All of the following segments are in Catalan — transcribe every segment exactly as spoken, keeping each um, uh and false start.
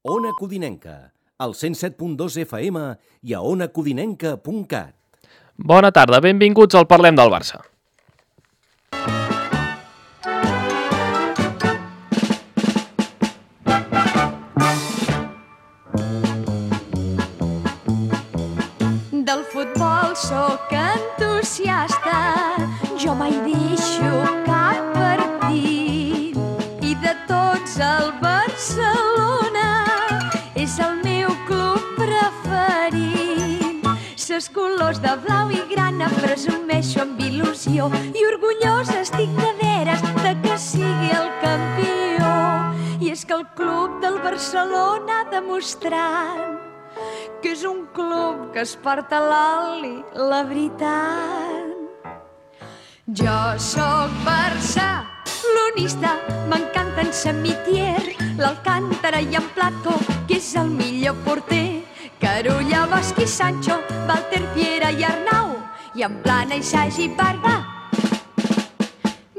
Ona Codinenca, al cent set punt dos F M i a ona codinenca punt cat. Bona tarda, benvinguts al Parlem del Barça. Del futbol sóc entusiasta, jo mai deixo cap partit. I de tots el Barcelona és el meu club preferit. Ses colors de blau i grana presumeixo amb il·lusió i orgullosa estic de veres de que sigui el campió. I és que el club del Barcelona ha demostrat que és un club que es porta l'oli, la veritat. Jo sóc barcelonista, m'encanta en Samitier, l'Alcántara i en Plató, que és el millor porter. Carulla, Bosch i Sancho, Walter, Piera i Arnau, i en Plana i Sagi i Barba,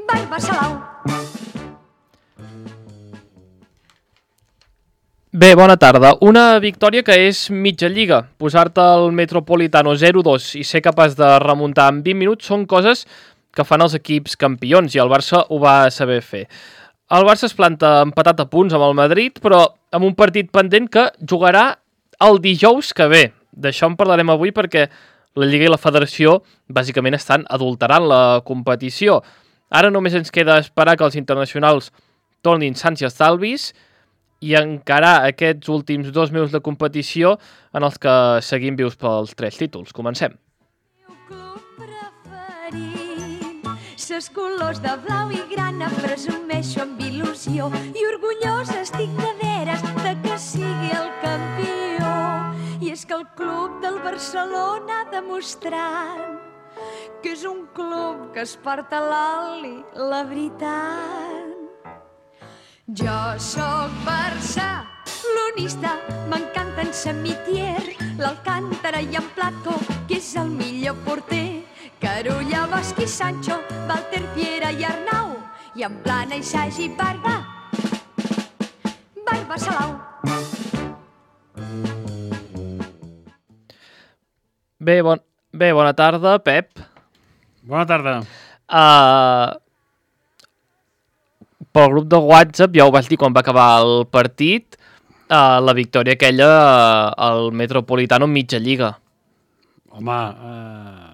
Barba Salau. Bé, bona tarda. Una victòria que és mitja lliga. Posar-te al Metropolitano zero dos i ser capaç de remuntar en vint minuts són coses que fan els equips campions i el Barça ho va saber fer. El Barça es planta empatat a punts amb el Madrid, però amb un partit pendent que jugarà el dijous que ve. D'això en parlarem avui perquè la Lliga i la Federació bàsicament estan adulterant la competició. Ara només ens queda esperar que els internacionals tornin sans i estalvis i encarar aquests últims dos mesos de competició en els que seguim vius pels tres títols. Comencem. Ses colors de blau i grana presumeixo amb il·lusió i orgullosa estic de veres de que sigui el campió. I és que el club del Barcelona ha demostrat que és un club que es porta l'oli, la veritat. Jo sóc barcelonista, m'encanta en Samitier, l'Alcántara i en Plató, que és el millor porter. Carulla, Bosch i Sancho, Walter, Piera i Arnau, i en Plana i Sagi i Barba, Barba Salau. Bé, bon... Bé, bona tarda, Pep. Bona tarda. Uh... Pel grup de WhatsApp ja ho vaig dir quan va acabar el partit, uh, la victòria aquella uh, al Metropolitano en mitja lliga. Home, uh,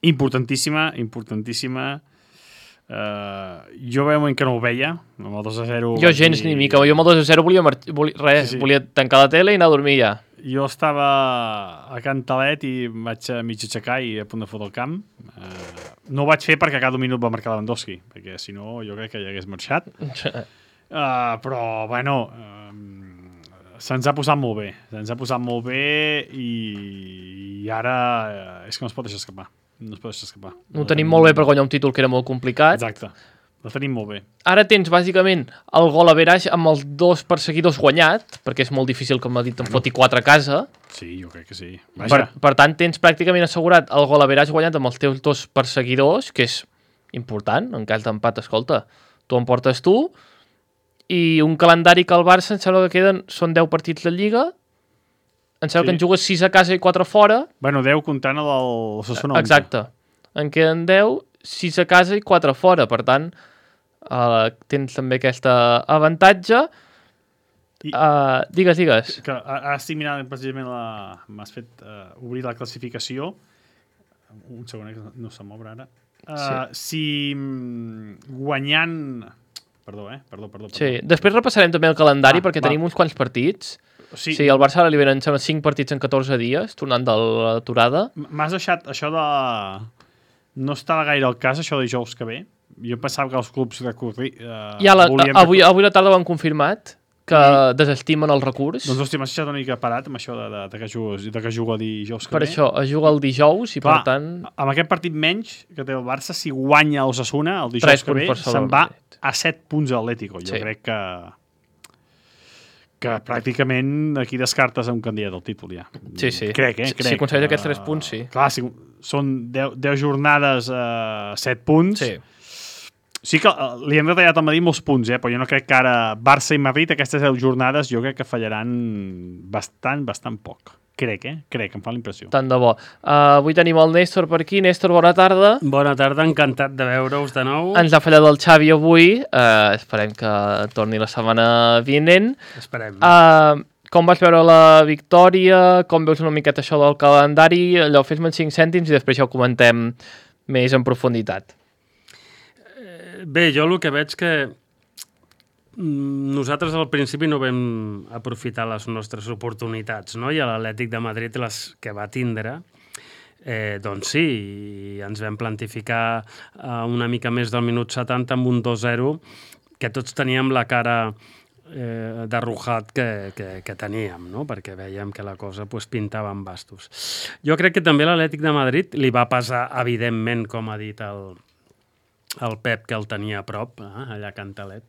importantíssima, importantíssima. Uh, jo veig que no ho veia, amb el dos a zero. Jo gens dir... ni mica, jo amb el dos a zero volia, volia, res, sí, sí. volia tancar la tele i anar a dormir ja. Jo estava a Cantalet i em vaig a mig aixecar i a punt de fotre el camp. Uh, no ho vaig fer perquè a cada minut va marcar Lewandowski, perquè si no jo crec que ja hagués marxat. Uh, però, bueno, uh, se'ns ha posat molt bé. Se'ns ha posat molt bé i, i ara uh, és que no es pot deixar escapar. No es pot deixar escapar. No ho tenim molt bé per guanyar un títol que era molt complicat. Exacte. Ho tenim molt bé. Ara tens, bàsicament, el gol a Verage amb els dos perseguidors guanyat, perquè és molt difícil que el Madrid en foti quatre a casa. Sí, jo crec que sí. Per, per tant, tens pràcticament assegurat el gol a Verage guanyat amb els teus dos perseguidors, que és important, en cas d'empat, escolta. Tu en portes tu, i un calendari que el Barça, em sembla que queden, són deu partits de Lliga, em sembla sí. que en jugues sis a casa i quatre fora. Bueno, deu comptant el del Osasuna. Exacte. En queden deu, sis a casa i quatre fora, per tant... Uh, tens també aquest avantatge. I, uh, digues, digues. Que, ara estic mirant precisament la... M'has fet uh, obrir la classificació. Un segon, que no se m'obre ara. Uh, sí. Si guanyant... Perdó, eh? Perdó, perdó, perdó. Sí. Després repassarem també el calendari, ah, perquè va. Tenim uns quants partits. Sí. Sí, el Barça ara li venen cinc partits en catorze dies, tornant de l'aturada. M'has deixat això de... No estava gaire el cas, això de dijous que ve. Jo pensava que els clubs recorri... Uh, ja la, avui, avui la tarda ho han confirmat, que sí. desestimen el recurs. Doncs hòstia, m'has deixat una mica parat amb això de, de, de, que, jugues, de que juga el dijous que per ve. Per això, es juga el dijous i clar, per tant... Amb aquest partit menys que té el Barça, si guanya el Osasuna el dijous que ve, se'n va a set punts a l'Atlético. Jo sí. crec que... que pràcticament aquí descartes un candidat al títol ja. Sí, sí. Crec, eh? Crec. Si aconsegueix aquests tres punts, sí. Clar, si són deu jornades a set punts. Sí. Sí que li han retallat al Madrid molts punts, eh? Però jo no crec que ara Barça i Madrid, aquestes deu jornades, jo crec que fallaran bastant, bastant poc. Crec, eh? Crec, em fa la impressió. Tant de bo. Uh, avui tenim el Néstor per aquí. Néstor, bona tarda. Bona tarda, encantat de veure-us de nou. Ens ha fallat el Xavi avui. Uh, esperem que torni la setmana vinent. Esperem. Uh, com vas veure la victòria? Com veus una miqueta això del calendari? Allò, fes-me en cinc cèntims i després ja ho comentem més en profunditat. Bé, jo el que veig que nosaltres al principi no vam aprofitar les nostres oportunitats, no? I a l'Atlètic de Madrid les que va tindre, eh, doncs sí, i ens vam plantificar eh, una mica més del minut setanta amb un dos zero, que tots teníem la cara eh, de rujat que, que, que teníem, no? Perquè veiem que la cosa pues, pintava en bastos. Jo crec que també l'Atlètic de Madrid li va pesar, evidentment, com ha dit el el Pep, que el tenia a prop, eh, allà a Cantalet,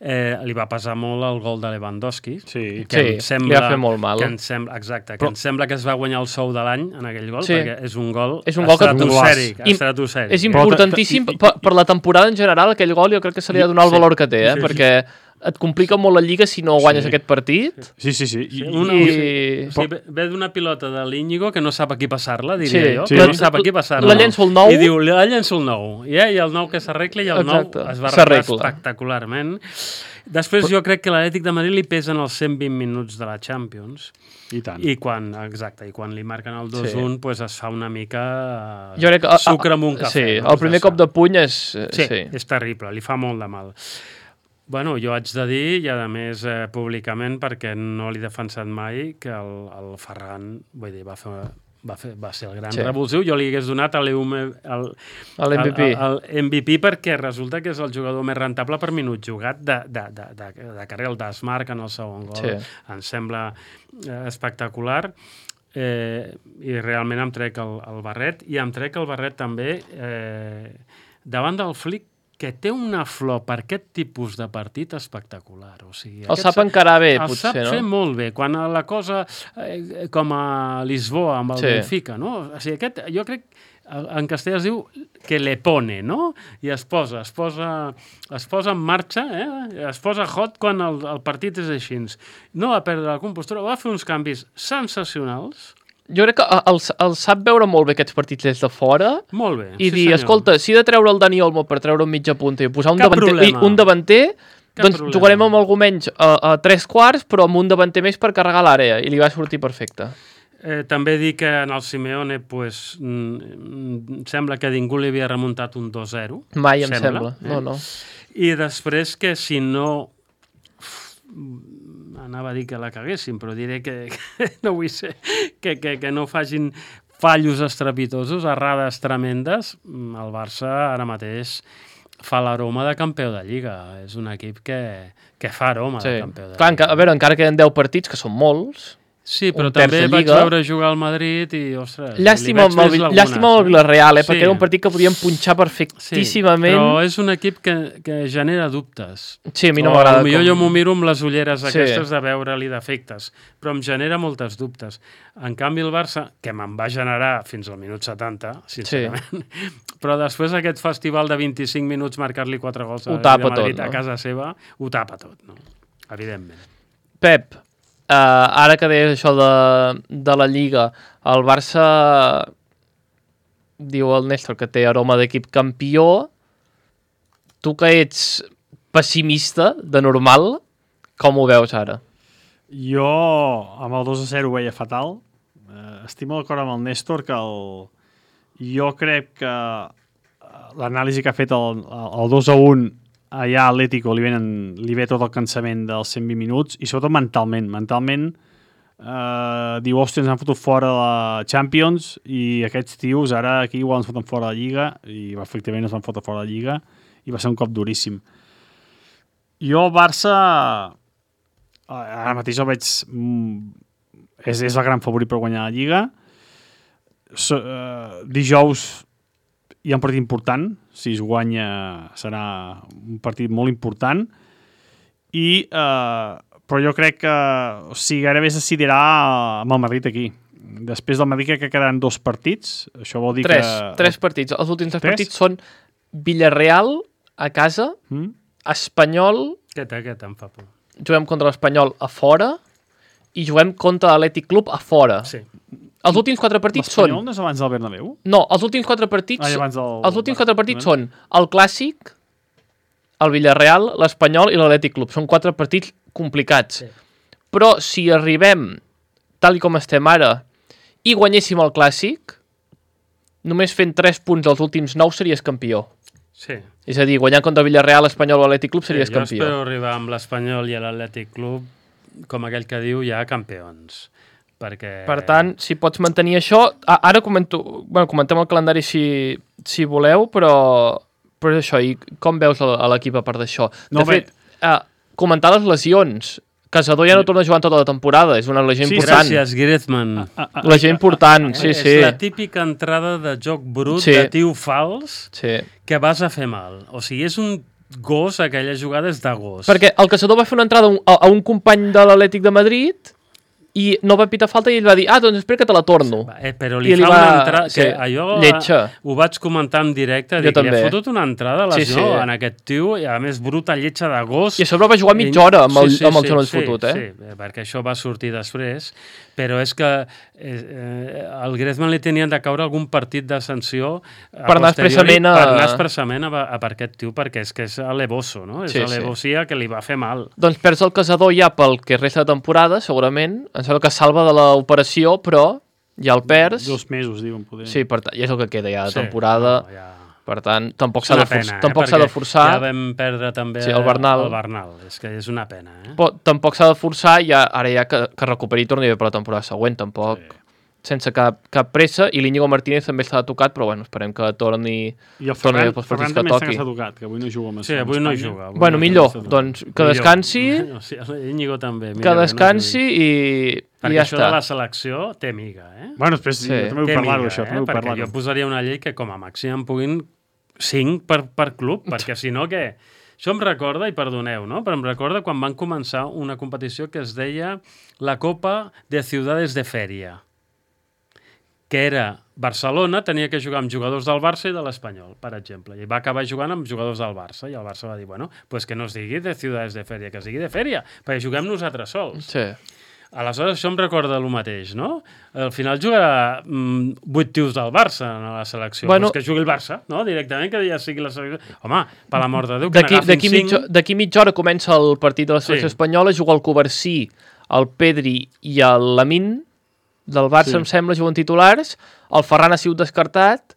eh, li va passar molt el gol de Lewandowski. Sí, sí sembla, li va fer molt mal. Que ens sembla, exacte, que Però... ens sembla que es va guanyar el sou de l'any en aquell gol, sí. Perquè és un gol, és un gol estratosfèric. estratosfèric. És importantíssim per, per la temporada en general, aquell gol jo crec que se li ha de donar el valor que té, eh, sí, perquè... Sí. Et complica molt la Lliga si no guanyes sí. aquest partit. Sí, sí, sí. I, una, I... O sigui, ve d'una pilota de l'Íñigo que no sap a qui passar-la, diria sí. jo. Sí. Que no sap a qui passar-la. La llenço el nou. I diu, la llenço el nou. Yeah, I el nou que s'arregla i el Exacte. nou es va arreglar espectacularment. Després jo crec que l'Atlètic de Madrid li pesen els cent vint minuts de la Champions. I tant. I quan, exacte, i quan li marquen el dos un, sí. pues es fa una mica uh, jo crec que, sucre amb un cafè. Sí, no? El primer cop de puny és... Sí, sí, és terrible, li fa molt de mal. Bueno, jo haig de dir, i a més eh, públicament, perquè no l'he defensat mai, que el, el Ferran, vull dir, va, fer, va, fer, va ser el gran sí. revulsiu. Jo li hagués donat l'M V P. El M V P perquè resulta que és el jugador més rentable per minut jugat de, de, de, de, de carrer. El desmarc en el segon gol. Sí. Em sembla eh, espectacular. Eh, I realment em trec el, el barret. I em trec el barret també eh, davant del Flick, que té una flor per aquest tipus de partit espectacular. O sigui, el sap encarar bé, el potser, no? El sap fer molt bé. Quan la cosa, eh, com a Lisboa, amb el sí. Benfica, no? O sigui, aquest, jo crec, en castellà es diu que le pone, no? I es posa, es posa, es posa en marxa, eh? Es posa hot quan el, el partit és així. No va perdre la compostura, va fer uns canvis sensacionals. Jo crec que el, el sap veure molt bé aquests partits des de fora. Molt bé, I sí dir, senyor. Escolta, si he de treure el Dani Olmo per treure un mitja punta i posar un Cap davanter, i un davanter Cap doncs problema. Jugarem amb algú menys a, a tres quarts, però amb un davanter més per carregar l'àrea, i li va sortir perfecte. Eh, també dic que en el Simeone pues, mm, sembla que ningú li havia remuntat un dos zero. Mai em sembla. sembla, no, no. I després que si no... anava a dir que la caguessin, però diré que, que no vull ser, que, que, que no facin fallos estrepitosos, errades tremendes. El Barça ara mateix fa l'aroma de campió de Lliga. És un equip que, que fa aroma sí. de campió de Clar, Lliga. A veure, encara queden deu partits, que són molts... Sí, però també vaig veure jugar al Madrid i, ostres... Llàstima amb el, llàstima amb el Villarreal, eh, sí. perquè era un partit que podíem punxar perfectíssimament. Sí, però és un equip que, que genera dubtes. Sí, a mi no m'agrada. Potser com... jo m'ho miro amb les ulleres sí. aquestes de veure-li defectes, però em genera moltes dubtes. En canvi, el Barça, que me'n va generar fins al minut setanta, sincerament, sí. però després aquest festival de vint-i-cinc minuts marcar-li quatre gols a, de Madrid tot, no? a casa seva, ho tapa tot, no? Evidentment. Pep, Uh, ara que deies això de, de la Lliga, el Barça diu el Néstor que té aroma d'equip campió. Tu que ets pessimista de normal, com ho veus ara? Jo amb el dos a zero ho veia fatal. Uh, estic molt d'acord amb el Néstor que el... jo crec que l'anàlisi que ha fet el, el dos a un allà a Atlético li, venen, li ve tot el cansament dels cent vint minuts i sobretot mentalment. Mentalment eh, diu, hòstia, ens han fotut fora de la Champions i aquests tios ara aquí igual ens foten fora de la Lliga i efectivament ens van fotre fora de la Lliga i va ser un cop duríssim. Jo el Barça ara mateix el veig és, és el gran favorit per guanyar la Lliga. So, eh, dijous hi ha un partit important, si es guanya serà un partit molt important, i, eh, però jo crec que o sigui, gairebé es decidirà amb el Madrid aquí. Després del Madrid crec que quedaran dos partits, això vol dir tres, que... Tres partits, els últims tres, tres partits són Villarreal, a casa, Mm? Espanyol, Aquest, aquest em fa por. juguem contra l'Espanyol a fora i juguem contra l'Atlètic Club a fora. Sí. Els últims quatre partits són... L'Espanyol no és abans del Bernabéu? No, els últims quatre partits... Ah, i abans del... Els últims quatre partits són el Clàssic, el Villarreal, l'Espanyol i l'Atlètic Club. Són quatre partits complicats. Sí. Però si arribem, tal i com estem ara, i guanyéssim el Clàssic, només fent tres punts dels últims nou series campió. Sí. És a dir, guanyant contra el Villarreal, l'Espanyol o l'Atlètic Club series sí, jo campió. espero arribar amb l'Espanyol i l'Atlètic Club, com aquell que diu, ja campions. Perquè... Per tant, si pots mantenir això... a- Ara comento, bueno, comentem el calendari si, si voleu, però, però és això. I com veus a a l'equip a part d'això? De No, bé. fet, eh, comentar les lesions. Casador ja no torna a jugar en tota la temporada. És una lesió Sí, important. Gràcies, Griezmann. Ah, ah, Lesió important, sí, és sí. la típica entrada de joc brut, Sí. de tio fals, sí. que vas a fer mal. O sigui, és un gos, aquella jugada és de gos. Perquè el Casador va fer una entrada a un, a, a un company de l'Atlètic de Madrid i no va pitar falta i ell va dir, ah, doncs espera que te la torno. Eh, però li, I li fa va- una entrada... sí, Que allò lletja. ho vaig comentar en directe. Jo Dic, li també. ha fotut una entrada a Sí, lesió sí. en aquest tio, i a més bruta lletja de gos. I a sobre va jugar mitja hora amb el, amb el genoll sí, fotut, eh? Sí, perquè això va sortir després, però és que eh, eh, al Griezmann li tenien de caure algun partit de sanció a Per anar posteriori, expressament a- per anar expressament a, a per aquest tio, perquè és que és alevoso, no? És Sí, sí. alevosia que li va fer mal. Doncs perds el Casador ja pel que resta de temporada, segurament. Em sembla que es salva de l'operació, però ja el perds. Dos mesos, diuen, poder. Sí, per tant, ja és el que queda ja de Sí, temporada. no, ja... Per tant, tampoc És s'ha una de, for pena, eh? tampoc s'ha de Perquè forçar. Ja vam perdre també Sí, el Bernal. el Bernal. És que és una pena, eh? Però tampoc s'ha de forçar, ja, ara ja que, que recuperi i torni bé per la temporada següent, tampoc. Sí. Sense cap, cap pressa, i l'Íñigo Martínez també està tocat, però bueno, esperem que torni... I el torni Ferran, bé pels partits Ferran que també està toqui. que s'ha tocat, que avui no juga amb Sí, avui no Espanya. juga. Avui Bueno, no millor, juga. doncs que Millor. descansi, O sigui, Íñigo també. que millor descansi no i, i Perquè ja això està. de la selecció té miga, eh? Bueno, després Sí. sí. jo també vull Té parlar-ho, miga, això. eh? També vull Perquè parlar-ho. jo posaria una llei que com a màxim en puguin cinc per, per club, perquè si no, què? Això em recorda, i perdoneu, no? Però em recorda quan van començar una competició que es deia la Copa de Ciudades de Feria, que era Barcelona, tenia que jugar amb jugadors del Barça i de l'Espanyol, per exemple, i va acabar jugant amb jugadors del Barça, i el Barça va dir, bueno, pues que no es digui de Ciudades de Feria, que es digui de Feria, perquè juguem nosaltres sols. Sí. Aleshores, això em recorda el mateix, no? Al final jugarà mm, vuit tios del Barça a la selecció. Bueno, pues que jugui el Barça, no? Directament, que ja sigui la selecció. Home, per l'amor de Déu, que D'aquí n'agafin d'aquí cinc. mitja, d'aquí mitja hora comença el partit de la selecció Sí. espanyola, juga el Covarsí, el Pedri i el Lamin del Barça, Sí. em sembla, juguen titulars. El Ferran ha sigut descartat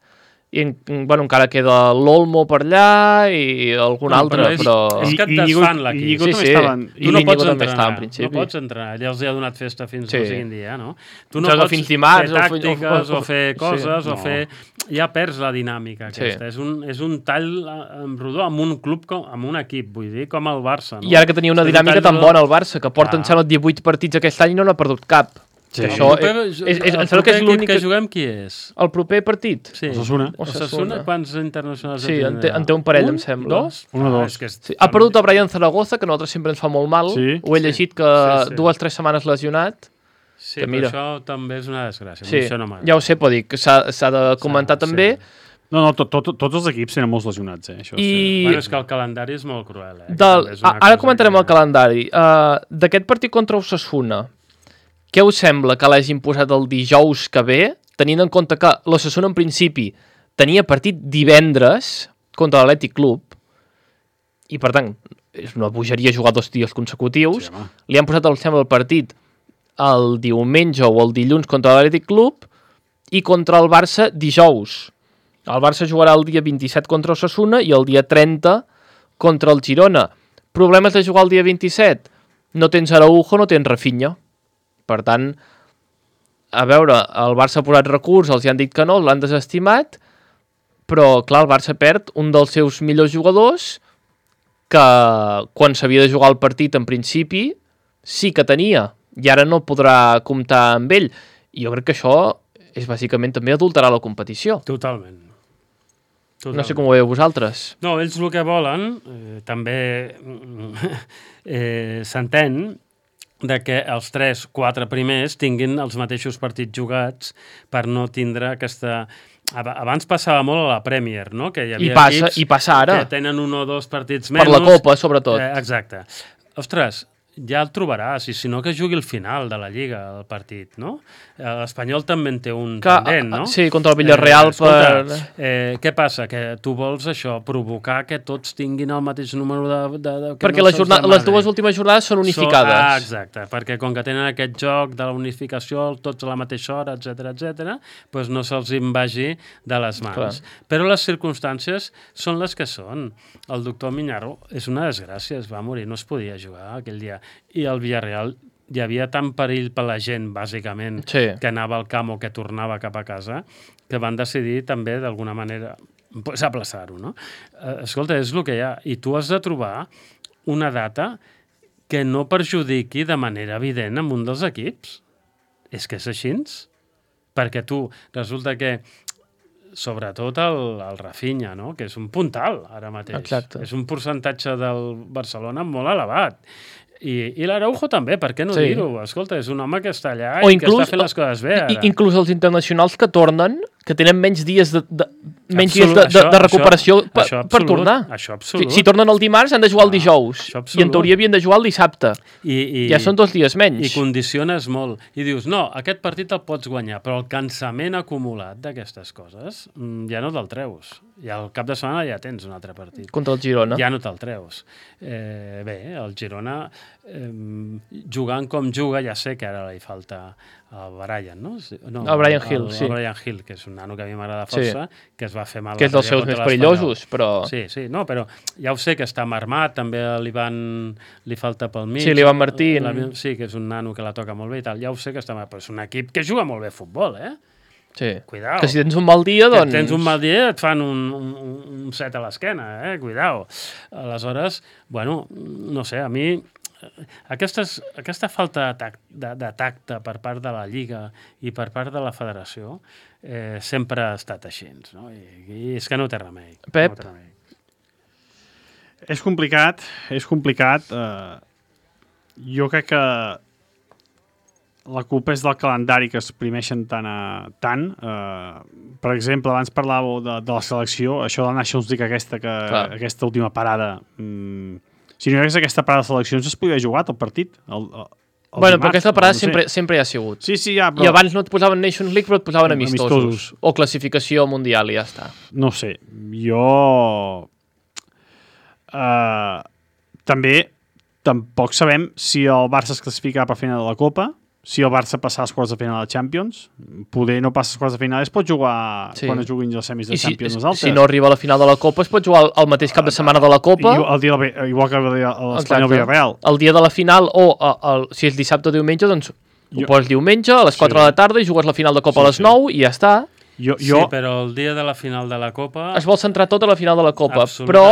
i en, bueno, encara queda l'Olmo per allà i algun No, altre, però és- però... és que et I- i Íñigo- desfan l'equip. Íñigo Sí, també sí. estaven... I Tu no l'Íñigo pots també està, entrenar, en principi. no pots entrenar, ja els hi ha donat festa fins Sí. al següent dia, no? Tu Em no sembla pots fins dimarts, fer o fi- tàctiques o- o- o, fer sí. coses o No. fer... Ja perds la dinàmica Sí. aquesta. És, un, és un tall eh, en rodó amb un club, com, amb un equip, vull dir, com el Barça. No? I ara que tenia una És un dinàmica tall tan rodó. bona al Barça, que porta, Clar. em sembla, divuit partits aquest any i no n'ha perdut cap. Sí. Que això El proper- és, és, és, el em sembla que és proper l'únic... equip que juguem, qui és? El proper partit? Sí. Osasuna. Osasuna. Osasuna. Quants internacionals Sí, ja en té, en té un parell, un? em sembla. Dos? Un o Ah, dos. és que és... Sí. Ha perdut a Brian Zaragoza, que a nosaltres sempre ens fa molt mal. Sí. Ho he llegit que Sí, sí. dues o tres setmanes lesionat. Sí, que però mira. això també és una desgràcia. Sí, Això no m'agrada. ja ho sé, però dic que s'ha s'ha de comentar S'ha- també. sí. No, no, tot, tot, tots els equips tenen molts lesionats, eh? Això I- sí. Bueno, és que el calendari és molt cruel, eh? Que Del, també és una a, ara cosa comentarem que- el calendari. Uh, D'aquest partit contra Osasuna, què us sembla que l'hagin posat el dijous que ve, tenint en compte que l'Osasuna en principi tenia partit divendres contra l'Atlètic Club, i per tant és una bogeria jugar dos dies consecutius, Sí, home. li han posat el, sembla, el partit el diumenge o el dilluns contra l'Atlètic Club i contra el Barça dijous. El Barça jugarà el dia vint-i-set contra Osasuna i el dia trenta contra el Girona. Problemes de jugar el dia vint-i-set? No tens Araujo, no tens Rafinha. Per tant, a veure, el Barça ha posat recurs, els hi han dit que no, l'han desestimat, però, clar, el Barça perd un dels seus millors jugadors que quan s'havia de jugar el partit en principi sí que tenia i ara no podrà comptar amb ell. I jo crec que això és bàsicament també adulterar la competició. Totalment. Totalment. No sé com ho veieu vosaltres. No, ells el que volen, eh, també mm, eh, s'entén, de que els tres, quatre primers tinguin els mateixos partits jugats per no tindre aquesta... Abans passava molt a la Premier, no? Que hi havia I passa, equips i passa ara. que tenen un o dos partits menys. Per la Copa, sobretot. Eh, exacte. Ostres, ja el trobaràs, i si no que jugui al final de la Lliga, el partit, no? L'Espanyol també en té un que, pendent, no? Sí, contra el Villarreal. Eh, escolta, per... eh, què passa? Que tu vols això, provocar que tots tinguin el mateix número de... de, de perquè les, jornada, les dues últimes jornades són unificades. So, ah, exacte, perquè com que tenen aquest joc de la unificació, tots a la mateixa hora, etcètera, etcètera, doncs no se'ls invagi de les mans. Clar. Però les circumstàncies són les que són. El doctor Miñarro és una desgràcia, es va morir, no es podia jugar aquell dia. I el Villarreal hi havia tant perill per la gent, bàsicament, sí. que anava al camp o que tornava cap a casa, que van decidir també, d'alguna manera, pues, aplaçar-ho, no? Eh, escolta, és el que hi ha. I tu has de trobar una data que no perjudiqui de manera evident amb un dels equips. És que és així. Perquè tu, resulta que sobretot el, el Rafinha, no? Que és un puntal ara mateix. Exacte. És un percentatge del Barcelona molt elevat. I, i l'Araujo també, per què no sí. dir-ho? Escolta, és un home que està allà o i inclús, que està fent les coses bé ara. I, inclús els internacionals que tornen, que tenen menys dies de, de, menys absolut, dies de, de, això, de recuperació això, per, això per tornar. Això absolut. Si, si tornen el dimarts han de jugar el dijous ah, i en teoria havien de jugar el dissabte. I, i, ja són dos dies menys. I condiciones molt. I dius, no, aquest partit el pots guanyar, però el cansament acumulat d'aquestes coses ja no te'l treus. I al cap de setmana ja tens un altre partit. Contra el Girona. Ja no te'l treus. Eh, bé, el Girona, eh, jugant com juga, ja sé que ara li falta el Brian, no? no el Brian Hill, el, sí. El Brian Hill, que és un nano que a mi m'agrada força, sí. que es va fer mal. Que és dels seus més perillosos, però... Sí, sí, no, però ja ho sé que està marmat, també li van... li falta pel mig. Sí, l'Ivan Martín. La, sí, que és un nano que la toca molt bé i tal. Ja ho sé que està marmat, però és un equip que juga molt bé a futbol, eh? Sí. Cuidao. Que si tens un mal dia, doncs... Que tens un mal dia et fan un, un, un set a l'esquena, eh? Cuidao. Aleshores, bueno, no sé, a mi... Aquestes, aquesta falta de, tact, de, de tacte per part de la Lliga i per part de la Federació eh, sempre ha estat així, no? I, i és que no té remei. Pep? No té remei. És complicat, és complicat. Eh, jo crec que la culpa és del calendari que es primeixen tant. A, tant. Eh, per exemple, abans parlàveu de, de la selecció, això de la Nations League aquesta, que, aquesta última parada... Mm, si no hi hagués aquesta parada de seleccions, es podria jugar el partit. El, el, el bueno, dimarts, però aquesta parada no sé. sempre, sempre hi ha sigut. Sí, sí, ja, però... I abans no et posaven Nations League, però et posaven amistosos. amistosos. O classificació mundial i ja està. No sé, jo... Uh, també tampoc sabem si el Barça es classificarà per final de la Copa, si el Barça passa als quarts de final de la Champions. Poder no passa als quarts de final, es pot jugar sí. quan es juguin els semis de I Champions. Si, els altres. si no arriba a la final de la Copa, es pot jugar el, el mateix cap de setmana de la Copa. I, el dia, igual que l'Espanyol Villarreal. El dia de la final, o el, el, si és dissabte o diumenge, doncs jo, ho poses diumenge a les quatre sí. de la tarda i jugues la final de Copa sí, a les nou sí. i ja està. Jo, jo... Sí, però el dia de la final de la Copa... Es vol centrar tot a la final de la Copa, però...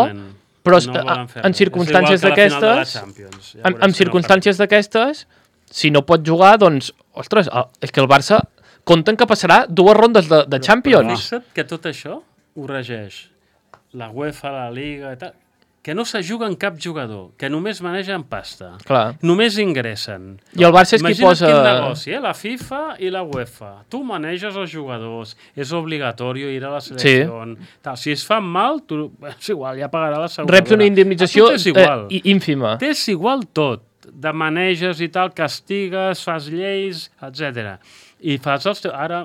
Però no en circumstàncies d'aquestes, ja en, en circumstàncies d'aquestes, si no pot jugar, doncs, ostres, és que el Barça compten que passarà dues rondes de, de Champions. Però fixa't que tot això ho regeix la UEFA, la Liga i tal, que no se juga en cap jugador, que només manegen pasta. Clar. Només ingressen. I el Barça és qui posa... Imagina't quin negoci, eh? La FIFA i la UEFA. Tu maneges els jugadors, és obligatori ir a la selecció. Sí. Tal. Si es fan mal, tu... és igual, ja pagarà la seguretat. Reps una indemnització eh, ínfima. T'és igual tot. De maneges i tal, castigues, fas lleis, etcètera. I fas els teus... Ara,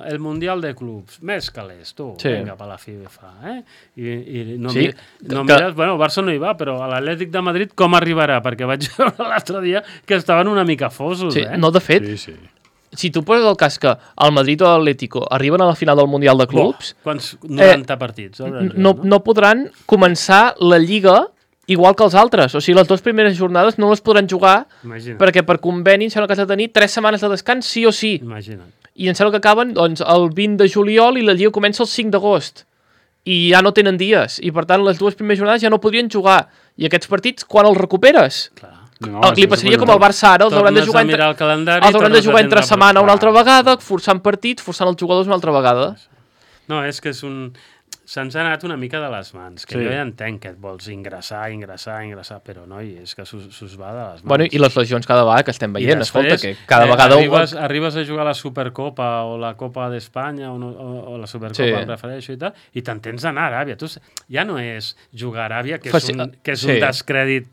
el Mundial de Clubs, més calés, tu, sí. Vinga, per la FIFA, eh? I, i no, sí, mi, no que... mires... Bueno, el Barça no hi va, però a l'Atlètic de Madrid com arribarà? Perquè vaig veure l'altre dia que estaven una mica fosos, sí, eh? No, de fet, sí, sí. Si tu poses el cas que el Madrid o l'Atlético arriben a la final del Mundial de Clubs... Oh, quants? noranta eh, partits. No, no, no podran començar la Lliga igual que els altres. O sigui, les dues primeres jornades no les podran jugar. Imagina't. Perquè per conveni em sembla que has de tenir tres setmanes de descans sí o sí. Imagina't. I em sembla que acaben doncs, el vint de juliol i la Lliga comença el cinc d'agost. I ja no tenen dies. I per tant les dues primeres jornades ja no podrien jugar. I aquests partits, quan els recuperes? Clar. No, li passaria com al Barça ara, els hauran de jugar entre, els hauran de jugar entre setmana una altra vegada, forçant partits, forçant els jugadors una altra vegada. No, és que és un... se'ns ha anat una mica de les mans, que Sí. jo ja entenc que et vols ingressar, ingressar, ingressar, però noi, és que s'us va de les mans. Bueno, i les lesions cada vegada que estem veient, I després, escolta, que cada eh, vegada... Arribes, arribes a jugar a la Supercopa o la Copa d'Espanya o, no, o, o la Supercopa, Sí. em prefereixo i tal, i te'n tens d'anar a Aràbia. Tu, ja no és jugar a Aràbia, que és Faci- un, que és sí. un descrèdit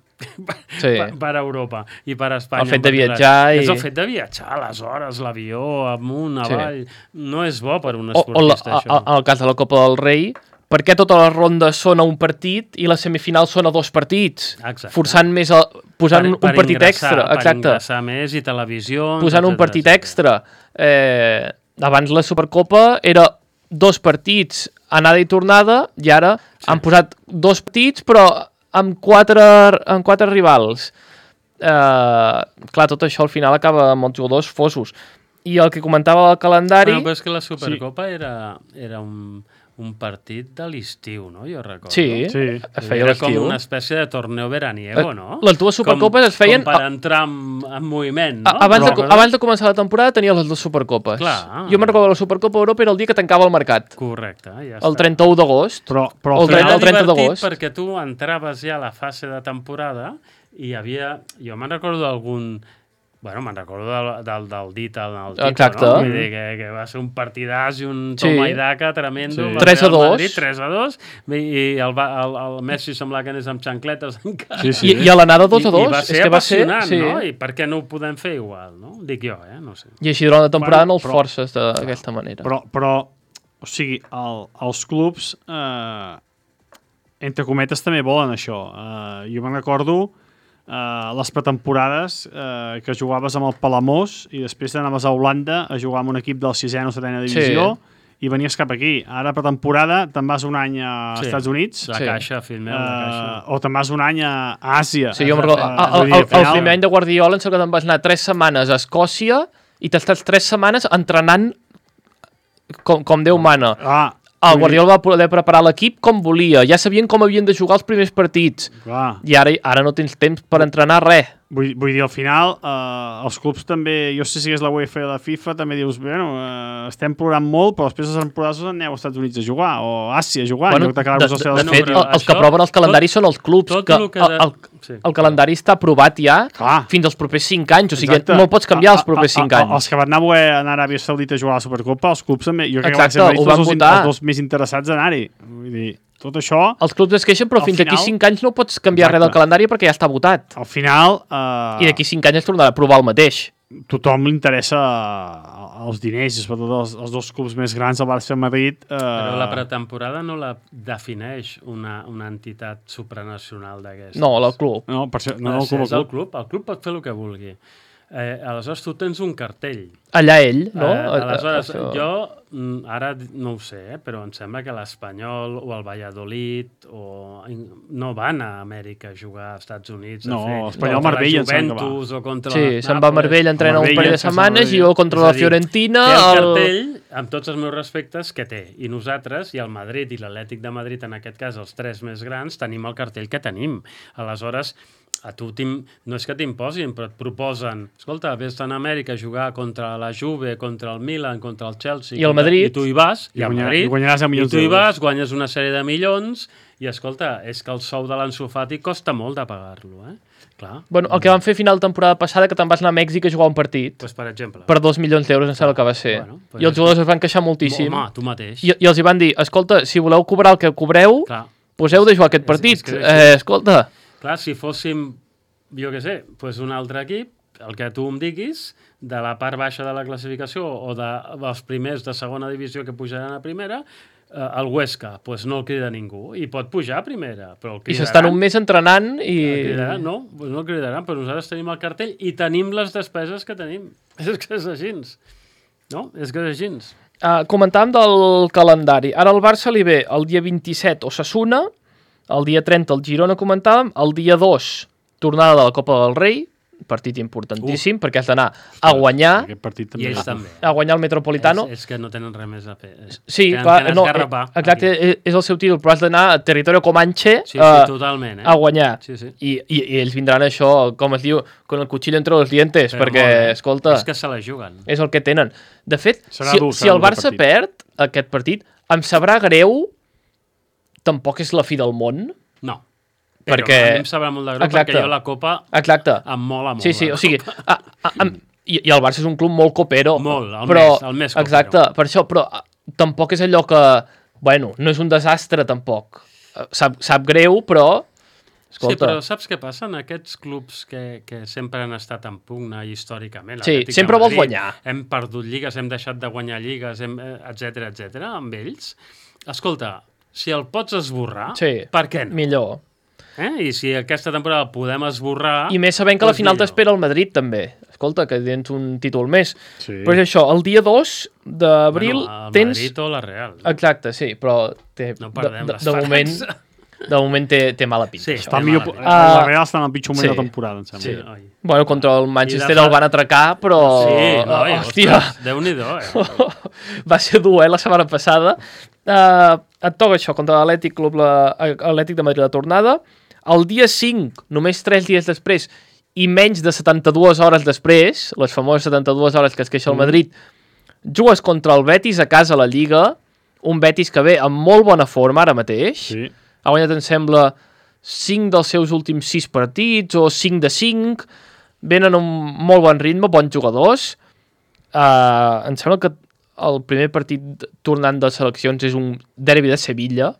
Sí. per, per Europa i per Espanya. El fet de en particular. viatjar i- És el fet de viatjar, les hores, l'avió, amunt, Sí. avall... No és bo per un O, o la, esportista, a, això. a, en el cas de la Copa del Rei, per què totes les rondes són a un partit i les semifinals són a dos partits? Exacte. Forçant més, a, posant un, un partit ingressar, extra. Per Exacte. ingressar més i televisió... Posant un partit extra. Eh, abans la Supercopa era dos partits, anada i tornada, i ara sí. han posat dos partits, però amb quatre, amb quatre rivals. Eh, clar, tot això al final acaba amb els jugadors fosos. I el que comentava del calendari... Bueno, però és que la Supercopa sí. era, era un, un partit de l'estiu, no? Jo recordo. Sí, Sí. es feia Era com l'estiu. una espècie de torneo veraniego, no? Les dues Supercopes com, es feien... Com per entrar en, en moviment, no? A- Abans, de, Però- abans de començar la temporada tenia les dues Supercopes. Clar. Jo me'n recordo la Supercopa Europa era el dia que tancava el mercat. Correcte, ja El està. trenta-u d'agost. Però, però El al trenta- final, el trenta divertit d'agost. perquè tu entraves ja a la fase de temporada i hi havia... Jo me'n recordo d'algun... Bueno, me'n recordo del, del, del dit al al Tito, Exacte. no? Vull dir que, que va ser un partidàs i un Sí. toma i daca tremendo. Sí. per tres a Real dos. Madrid, tres a dos. I el, va- el, el Messi semblava que anés amb xancletes encara. Sí, sí. I, I a l'anada dos a I, dos. I va ser és que va ser, apassionant, sí. no? I per què no ho podem fer igual, no? Dic jo, eh? No sé. I així durant la temporada Bueno, no els però- forces d'aquesta manera. Però, però, o sigui, el, els clubs, eh, entre cometes, també volen això. Eh, jo me'n recordo eh, les pretemporades eh, que jugaves amb el Palamós i després anaves a Holanda a jugar amb un equip del sisena o setena divisió i venies cap aquí. Ara, pretemporada, te'n vas un any a Sí. Estats Units La Sí. caixa, fill meu, la caixa. eh, o te'n vas un any a Àsia. Sí, jo me'n recordo. Eh, El, vull el, dir, el, al final- el primer any de Guardiola em sembla que te'n vas anar tres setmanes a Escòcia i t'estàs tres setmanes entrenant com, com Déu mana. Ah, El vull dir- Guardiola va poder preparar l'equip com volia. Ja sabien com havien de jugar els primers partits. Clar. I ara, ara no tens temps per entrenar res. Vull, vull dir, al final, eh, els clubs també, jo sé si és la UEFA i la FIFA, també dius, bueno, eh, estem plorant molt, però després de les temporades aneu als Estats Units a jugar, o a Àsia a jugar, Bueno, en lloc de, d'acabar-vos de, als de, seus de fet, però el, els que això- aproven els calendaris són els clubs. tot que lo que el, de- el, sí. el calendari està aprovat ja Clar. fins als propers cinc anys. O sigui, Exacte. no el pots canviar els propers A- a- cinc a- anys. Els que van anar a anar a Aràbia Saudita a jugar a la Supercopa, els clubs també, jo crec Exacte, que van ser ho van els, votar. els dos més interessats a anar-hi. Vull dir, tot això, Els clubs es queixen, però Al fins final- aquí cinc anys no pots canviar Exacte. res del calendari perquè ja està votat. al final, eh, I d'aquí cinc anys es tornarà a provar el mateix. tothom li interessa eh, els diners, i sobretot els, els dos clubs més grans, el Barça i el Madrid. Eh, Però la pretemporada no la defineix una, una entitat supranacional d'aquestes. No, el club. No, per això, no, No, no, el club, és el el club. club. El club pot fer el que vulgui. Eh, aleshores, tu tens un cartell. Allà ell, no? Eh, aleshores, Això- jo mm, ara no ho sé, eh, però em sembla que l'Espanyol o el Valladolid o... no van a Amèrica a jugar als Estats Units. No, a fer l'Espanyol contra Marbella, la em sembla que va. Juventus o contra Sí, la se'n va a Marbella, entrena un Marbella, parell de sense setmanes i Marbella. jo contra És la a dir, Fiorentina... Té el el- cartell, amb tots els meus respectes, que té. I nosaltres, i el Madrid i l'Atlètic de Madrid, en aquest cas, els tres més grans, tenim el cartell que tenim. Aleshores, a tu no és que t'imposin, però et proposen, escolta, vés-te a Amèrica a jugar contra la Juve, contra el Milan, contra el Chelsea... I el Madrid. I tu hi vas, i, I el guanyar- Madrid, i guanyaràs deu i milions tu hi d'euros. vas, guanyes una sèrie de milions, i escolta, és que el sou de l'Ansu Fati costa molt de pagar-lo, eh? Clar, Bueno, el que van fer a final de temporada passada, que te'n vas anar a Mèxic a jugar un partit doncs per exemple. per dos milions d'euros, em sembla que va ser. Bueno, pues I els és- jugadors es van queixar moltíssim. Home, tu mateix. I, I els hi van dir, escolta, si voleu cobrar el que cobreu, Clar. pues heu de jugar aquest És- partit. és que és- eh, escolta, Clar, si fóssim, jo què sé, pues un altre equip, el que tu em diguis, de la part baixa de la classificació o de, dels primers de segona divisió que pujaran a primera, eh, el Huesca, pues no el crida ningú. I pot pujar a primera, però el i cridaran. s'estan un mes entrenant El i... cridaran, no, pues no el cridaran, però nosaltres tenim el cartell i tenim les despeses que tenim. És que és així. No? És que és així. Uh, comentàvem del calendari. Ara al Barça li ve el dia vint-i-set Osasuna, el dia trenta el Girona comentàvem, el dia dos tornada de la Copa del Rei, partit importantíssim, uh. perquè has d'anar a guanyar, Aquest partit I també. ells també. a guanyar el Metropolitano. És, és que no tenen res més a fer. Sí, tenen, clar, tenen no, esgarrapar eh, exacte, aquí. és, és el seu títol, però has d'anar a Territorio Comanche Sí, sí, eh, totalment. Eh? a guanyar. Sí, sí. I, i, I ells vindran això, com es diu, con el cuchillo entre los dientes, Però perquè, molt bé. escolta, És que se la juguen. és el que tenen. De fet, Serà si, dur, si serà el dur Barça aquest perd aquest partit, em sabrà greu tampoc és la fi del món. No. Però perquè... a mi em sabrà molt de greu Exacte. perquè jo la Copa Exacte. em mola molt. Sí, sí, o sigui... A, a, a, i, I el Barça és un club molt copero. Molt, el però, més, el més copero. Exacte, per això, però a, tampoc és allò que... Bueno, no és un desastre, tampoc. Sap, sap greu, però... Escolta. Sí, però saps què passa? En aquests clubs que, que sempre han estat en pugna històricament... Sí, Atlètic sempre de vols Madrid, guanyar. Hem perdut lligues, hem deixat de guanyar lligues, hem, etcètera, etcètera, amb ells. Escolta, si el pots esborrar, Sí, per què no? millor. Eh? I si aquesta temporada el podem esborrar... I més sabent que a la doncs final millor. t'espera el Madrid, també. Escolta, que tens un títol més. Sí. Però és això, el dia dos d'abril Bueno, el tens... Madrid o la Real. Exacte, sí, però té, No perdem de, de, les de moment, de moment té, té mala pinta. Sí, això. Està Té millor, mala uh, la Real està en el pitjor moment Sí. de la temporada, em sembla. Sí. Oi. Bueno, contra el Manchester I de fa- el van atracar, però... Sí, no, oh, i, hòstia, ostres, Déu-n'hi-do, eh? va ser dur, eh, la setmana passada. Uh, et toca això, contra l'Atlètic Club, l'Atlètic de Madrid, la tornada. El dia cinc, només tres dies després, i menys de setanta-dues hores després, les famoses setanta-dues hores que es queixa el Madrid, jugues contra el Betis a casa a la Lliga, un Betis que ve amb molt bona forma ara mateix. Sí. Ha guanyat, em sembla, cinc dels seus últims sis partits, o cinc de cinc, venen amb molt bon ritme, bons jugadors. Uh, em sembla que el primer partit tornant de seleccions és un derbi de Sevilla,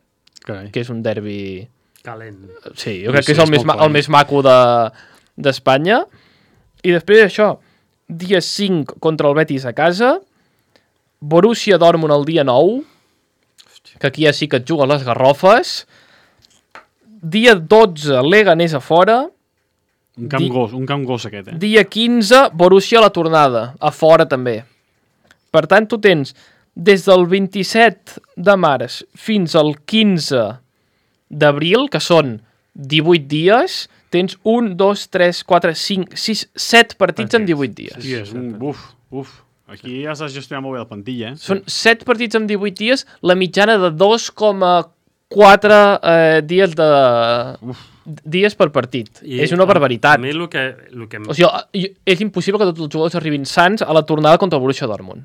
Carai. que és un derbi... Calent. Sí, jo Sí, crec que sí, és el, és més, molt ma clar. el més maco d'Espanya. De, I després això, dia cinc contra el Betis a casa, Borussia Dortmund el dia nou, que aquí ja sí que et juga les garrofes, dia dotze, Leganés a fora, Un camp Di- gos, un camp gos aquest, eh? dia quinze, Borussia a la tornada, a fora també. Per tant, tu tens des del vint-i-set de març fins al quinze d'abril, que són divuit dies, tens un, dos, tres, quatre, cinc, sis, set partits en divuit dies. Sí, és un buf, uf. Aquí has de gestionar molt bé la plantilla, eh? Són set partits en divuit dies, la mitjana de dos coma quatre eh, dies de... dies per partit. I és una a- barbaritat. A mi el que... El que... O sigui, jo- és impossible que tots els jugadors arribin sants a la tornada contra el Borussia Dortmund.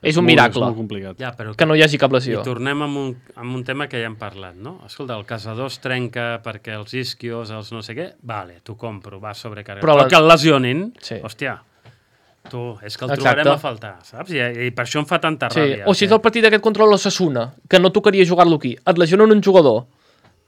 És un molt, miracle És molt complicat. Ja, però que no hi hagi cap I lesió. tornem amb un, amb un tema que ja hem parlat, no? Escolta, el casador es trenca perquè els isquios, els no sé què, vale, t'ho compro, va sobrecarregat. Però Però, la- que el lesionin, Sí. hòstia, tu, és que el Exacte. trobarem a faltar, saps? I, I per això em fa tanta Sí. ràbia. O si és el partit aquest contra l'Osasuna, que no tocaria jugar-lo aquí, et lesionen un jugador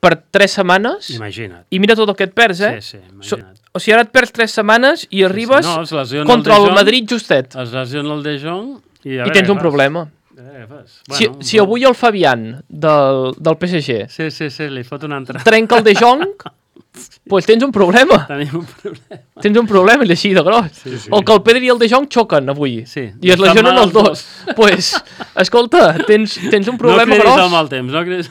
per tres setmanes Imagina't. i mira tot el que et perds, eh? Sí, sí, So, imagina't. o sigui, ara et perds tres setmanes i arribes No, es lesiona contra el el De Jong, Madrid justet Es lesiona el De Jong i... A i veure tens què un fas. problema. A veure què fas. Si, Bueno, si avui el Fabián del, del P S G Sí, sí, sí, li fot un altre. trenca el De Jong, pues tens un problema. Tenim un problema. Tens un problema, i així de gros. Sí, sí. O que el Pedri i el De Jong xoquen avui. Sí. I es Estan lesionen mal els dos. pues, escolta, tens, tens un problema no cridis gros. al mal temps, no cridis...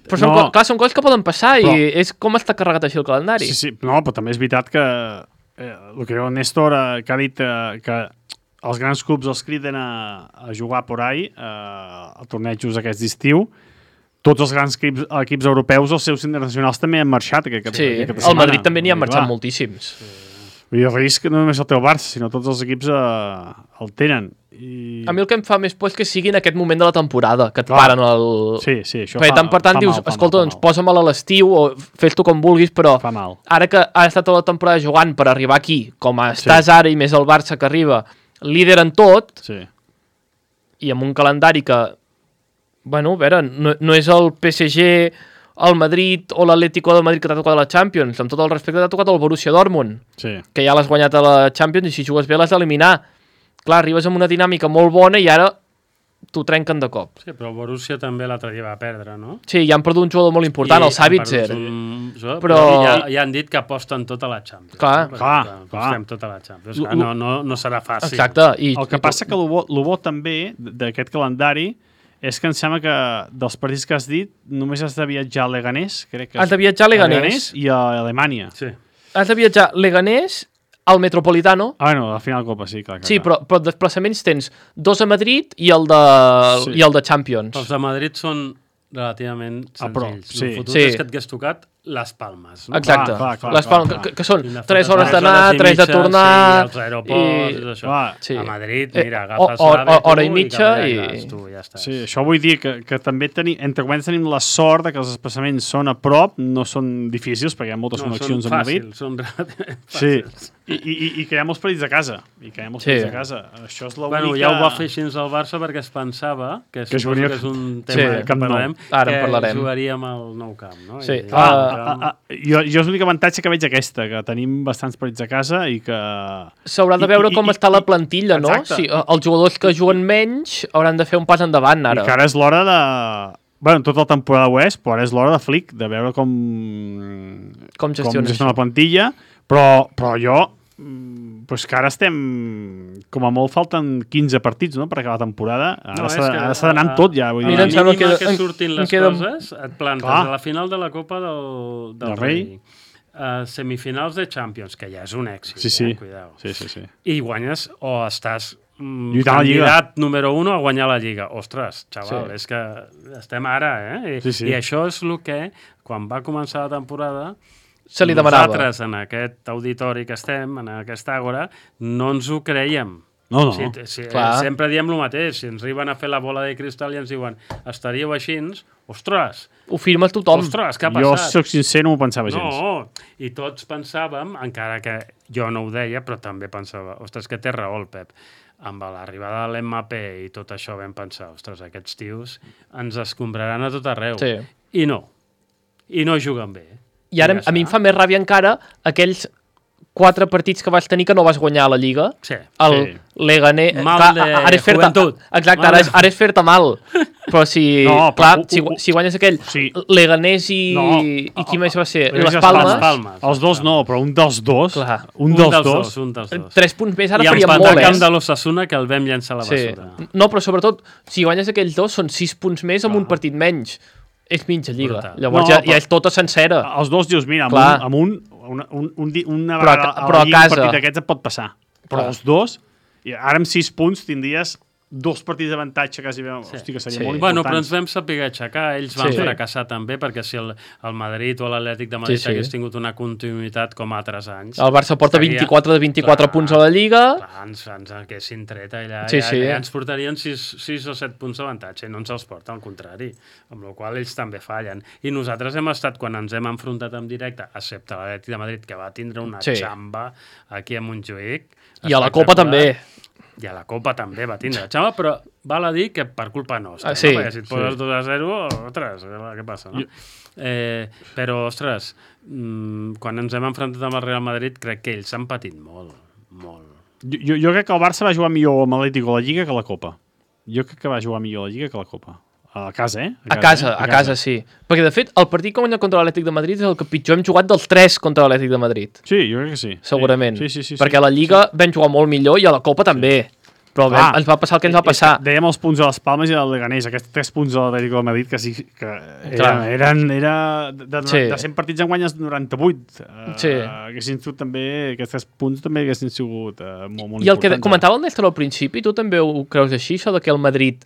Però són, No. co- clar, són coses que poden passar Però- i és com està carregat així el calendari. Sí, sí, no, però també és veritat que eh, el que diu el Néstor, eh, que ha dit eh, que els grans clubs els criden a, a jugar por ahí, eh, a tornejos aquests d'estiu. Tots els grans equips, equips europeus, els seus internacionals també han marxat aquest, Sí, aquesta el setmana. Madrid també n'hi ha Vull dir, marxat clar, moltíssims. Vull dir, el risc no només el té el Barça, sinó tots els equips eh, el tenen. I... A mi el que em fa més por és que sigui en aquest moment de la temporada, que et Clar. paren el... Sí, sí, això Perquè fa, tant per tant fa dius, mal, fa escolta, mal, doncs fa mal. posa'm-la a l'estiu o fes-t'ho com vulguis, però Fa mal. ara que ha estat tota la temporada jugant per arribar aquí, com estàs Sí. ara i més el Barça que arriba, líder en tot, Sí. i amb un calendari que, bueno, a veure, no, no és el P S G, el Madrid o l'Atlético de Madrid que t'ha tocat a la Champions, amb tot el respecte t'ha tocat el Borussia Dortmund, Sí. que ja l'has guanyat a la Champions i si jugues bé l'has d'eliminar. Clar, arribes amb una dinàmica molt bona i ara t'ho trenquen de cop. Sí, però el Borussia també l'altre dia va perdre, no? Sí, ja han perdut un jugador molt important, I el Savitzer. han perdut un jugador, Però- Però ja, ja han dit que aposten tota la Champions. Clar. no? Clar, Perquè clar. Apostem tota la Champions. L- Clar, no, no, no serà fàcil. Exacte. I, El que passa que el bo, el bo també d'aquest calendari és que em sembla que dels partits que has dit només has de viatjar a Leganés, crec que Has de viatjar a Leganés. i a Alemanya. Sí. Has de viatjar Leganés al Metropolitano. Ah, bueno, a la final de Copa, sí, clar. clar Sí, clar. però, però desplaçaments tens dos a Madrid i el de, Sí. i el de Champions. Els de Madrid són relativament A prop, senzills. sí. El fotut Sí. és que et hagués tocat les Palmes. No? Exacte. Clar, clar, clar, les Palmes, clar, clar. que, que són Quina tres foto, hores tres d'anar, hores i tres de mitja, tornar... Sí, als aeroports i, i... tot això. Clar. Sí. A Madrid, Eh, mira, o- agafes o- l'AVE o- hora i tu mitja cap allà i- vas, tu, ja estàs. Sí, això vull dir que, que també tenim, entre cometes tenim la sort de que els desplaçaments són a prop, no són difícils, perquè hi ha moltes No, connexions són amb Madrid. fàcils, són relativament Sí, fàcils. I, i, i que hi ha molts partits a casa. I que hi ha molts Sí. partits a casa. Això és l'única... Bueno, ja ho va fer així al Barça perquè es pensava, que, Que suposo jugaria- que és un Sí, tema que Camp Nou. parlarem, Ara en que parlarem. jugaríem al Nou Camp, no? Sí. I, Ah, Ah, ah, ah, jo, jo és l'únic avantatge que veig aquesta, que tenim bastants partits a casa i que... S'haurà de I- veure i- com i- està la i- plantilla, no? Exacte. Si, eh, els jugadors que juguen menys hauran de fer un pas endavant, ara. I que ara és l'hora de... Bueno, tota la temporada ho és, però ara és l'hora de Flick, de veure com... Com gestiona gestiona la plantilla, però, però jo... mm, Pues que ara estem... Com a molt falten quinze partits, no?, per acabar la temporada. Ara No, s'ha és que ara s'ha d'anar amb tot, ja. Vull Mira, em dir. sembla mínima que- que en- surtin en les queda- coses, et plantes Clar. a la final de la Copa del, del, Del Rei, Rei. a semifinals de Champions, que ja és un èxit, Sí, sí. eh? Cuidao. Sí, sí, sí. I guanyes o estàs mm, Lluitant a la Lliga. candidat número un a guanyar la Lliga. Ostres, xaval, Sí. és que estem ara, eh? I, Sí, sí. I això és el que, quan va començar la temporada, Se li demanava. nosaltres, en aquest auditori que estem, en aquesta àgora, no ens ho creiem. No, no. Si, si, Clar. sempre diem el mateix. Si ens arriben a fer la bola de cristal i ens diuen estaríeu així, ostres, Ho firma tothom. ostres, què ha Jo, passat? soc sincer, no m'ho pensava gens. No, i tots pensàvem, encara que jo no ho deia, però també pensava, ostres, que té raó el Pep. Amb l'arribada de l'M P i tot això vam pensar, ostres, aquests tios ens escombraran a tot arreu. Sí. I no. I no juguen bé. I ara ja a mi em està. fa més ràbia encara aquells quatre partits que vas tenir que no vas guanyar a la Lliga. Sí. El Sí. Leganés... Mal clar, de ara és fer-te... joventut. Exacte, Mal ara de- és, ara és fer-te mal. Però si... No, però clar, ho- si, ho- si guanyes aquell sí. Leganés i... No. I qui més va ser? Leganés Les i Palmes. Les Palmes. Els dos no, però un dels dos... Clar. Un, Un dels, dels dos... dos, un dels dos. Tres punts més ara I faria empatar molt, al camp eh? de l'Ossassuna, que el vam llançar a la Sí. bessura. No, però sobretot, si guanyes aquells dos, són sis punts més amb un partit menys. És mitja lliga. Brutal. Llavors No, ja, però- ja és tota sencera. Els dos dius, mira, amb Clar. un, amb un, una, un, un, di- una Però a vegada ca- a però la a Lliga casa. un partit d'aquests et pot passar. Però Clar. els dos, i ara amb sis punts tindries dos partits d'avantatge quasi bé. Sí. Hosti, que seria Sí. molt Bueno, però important. ens vam saber aixecar, ells van Sí. fracassar també, perquè si el, el Madrid o l'Atlètic de Madrid Sí, sí. hagués tingut una continuïtat com altres anys... El Barça porta estaria- vint-i-quatre de vint-i-quatre Clar, punts a la Lliga. Clar, ens, ens haguessin tret allà, Sí, ja, sí. ja ens portarien sis o set punts d'avantatge, i no ens els porta, al contrari, amb la qual cosa ells també fallen. I nosaltres hem estat, quan ens hem enfrontat en directe, excepte l'Atlètic de Madrid, que va tindre una Sí. xamba aquí a Montjuïc. I a la Copa també. I a la Copa també va tindre la xamba, però val a dir que per culpa nostra, Ah, sí, no? Perquè si et poses sí. dos a zero, ostres, què passa, no? Eh, però, ostres, mmm, quan ens hem enfrontat amb el Real Madrid, crec que ells han patit molt, molt. Jo, jo, jo crec que el Barça va jugar millor amb l'Atlético a la Lliga que a la Copa. Jo crec que va jugar millor a la Lliga que a la Copa. A casa, eh? A casa, a casa, sí. Perquè, de fet, el partit que guanya contra l'Atlètic de Madrid és el que pitjor hem jugat dels tres contra l'Atlètic de Madrid. Sí, jo crec que sí. Segurament. Sí, sí, sí. sí Perquè a la Lliga sí. vam jugar molt millor i a la Copa també. Però vam, Ah, ens va passar el que ens va passar. Dèiem els punts de les Palmes i del Leganés, aquests tres punts de l'Atlético de Madrid que sí que eren, Clar. eren era de, de, Sí. de cent partits en guanyes noranta-vuit. Uh, Sí. Haguessin sigut també, aquests tres punts també haguessin sigut uh, molt, molt I el que importants. comentava el Néstor al principi, tu també ho creus així, això de que el Madrid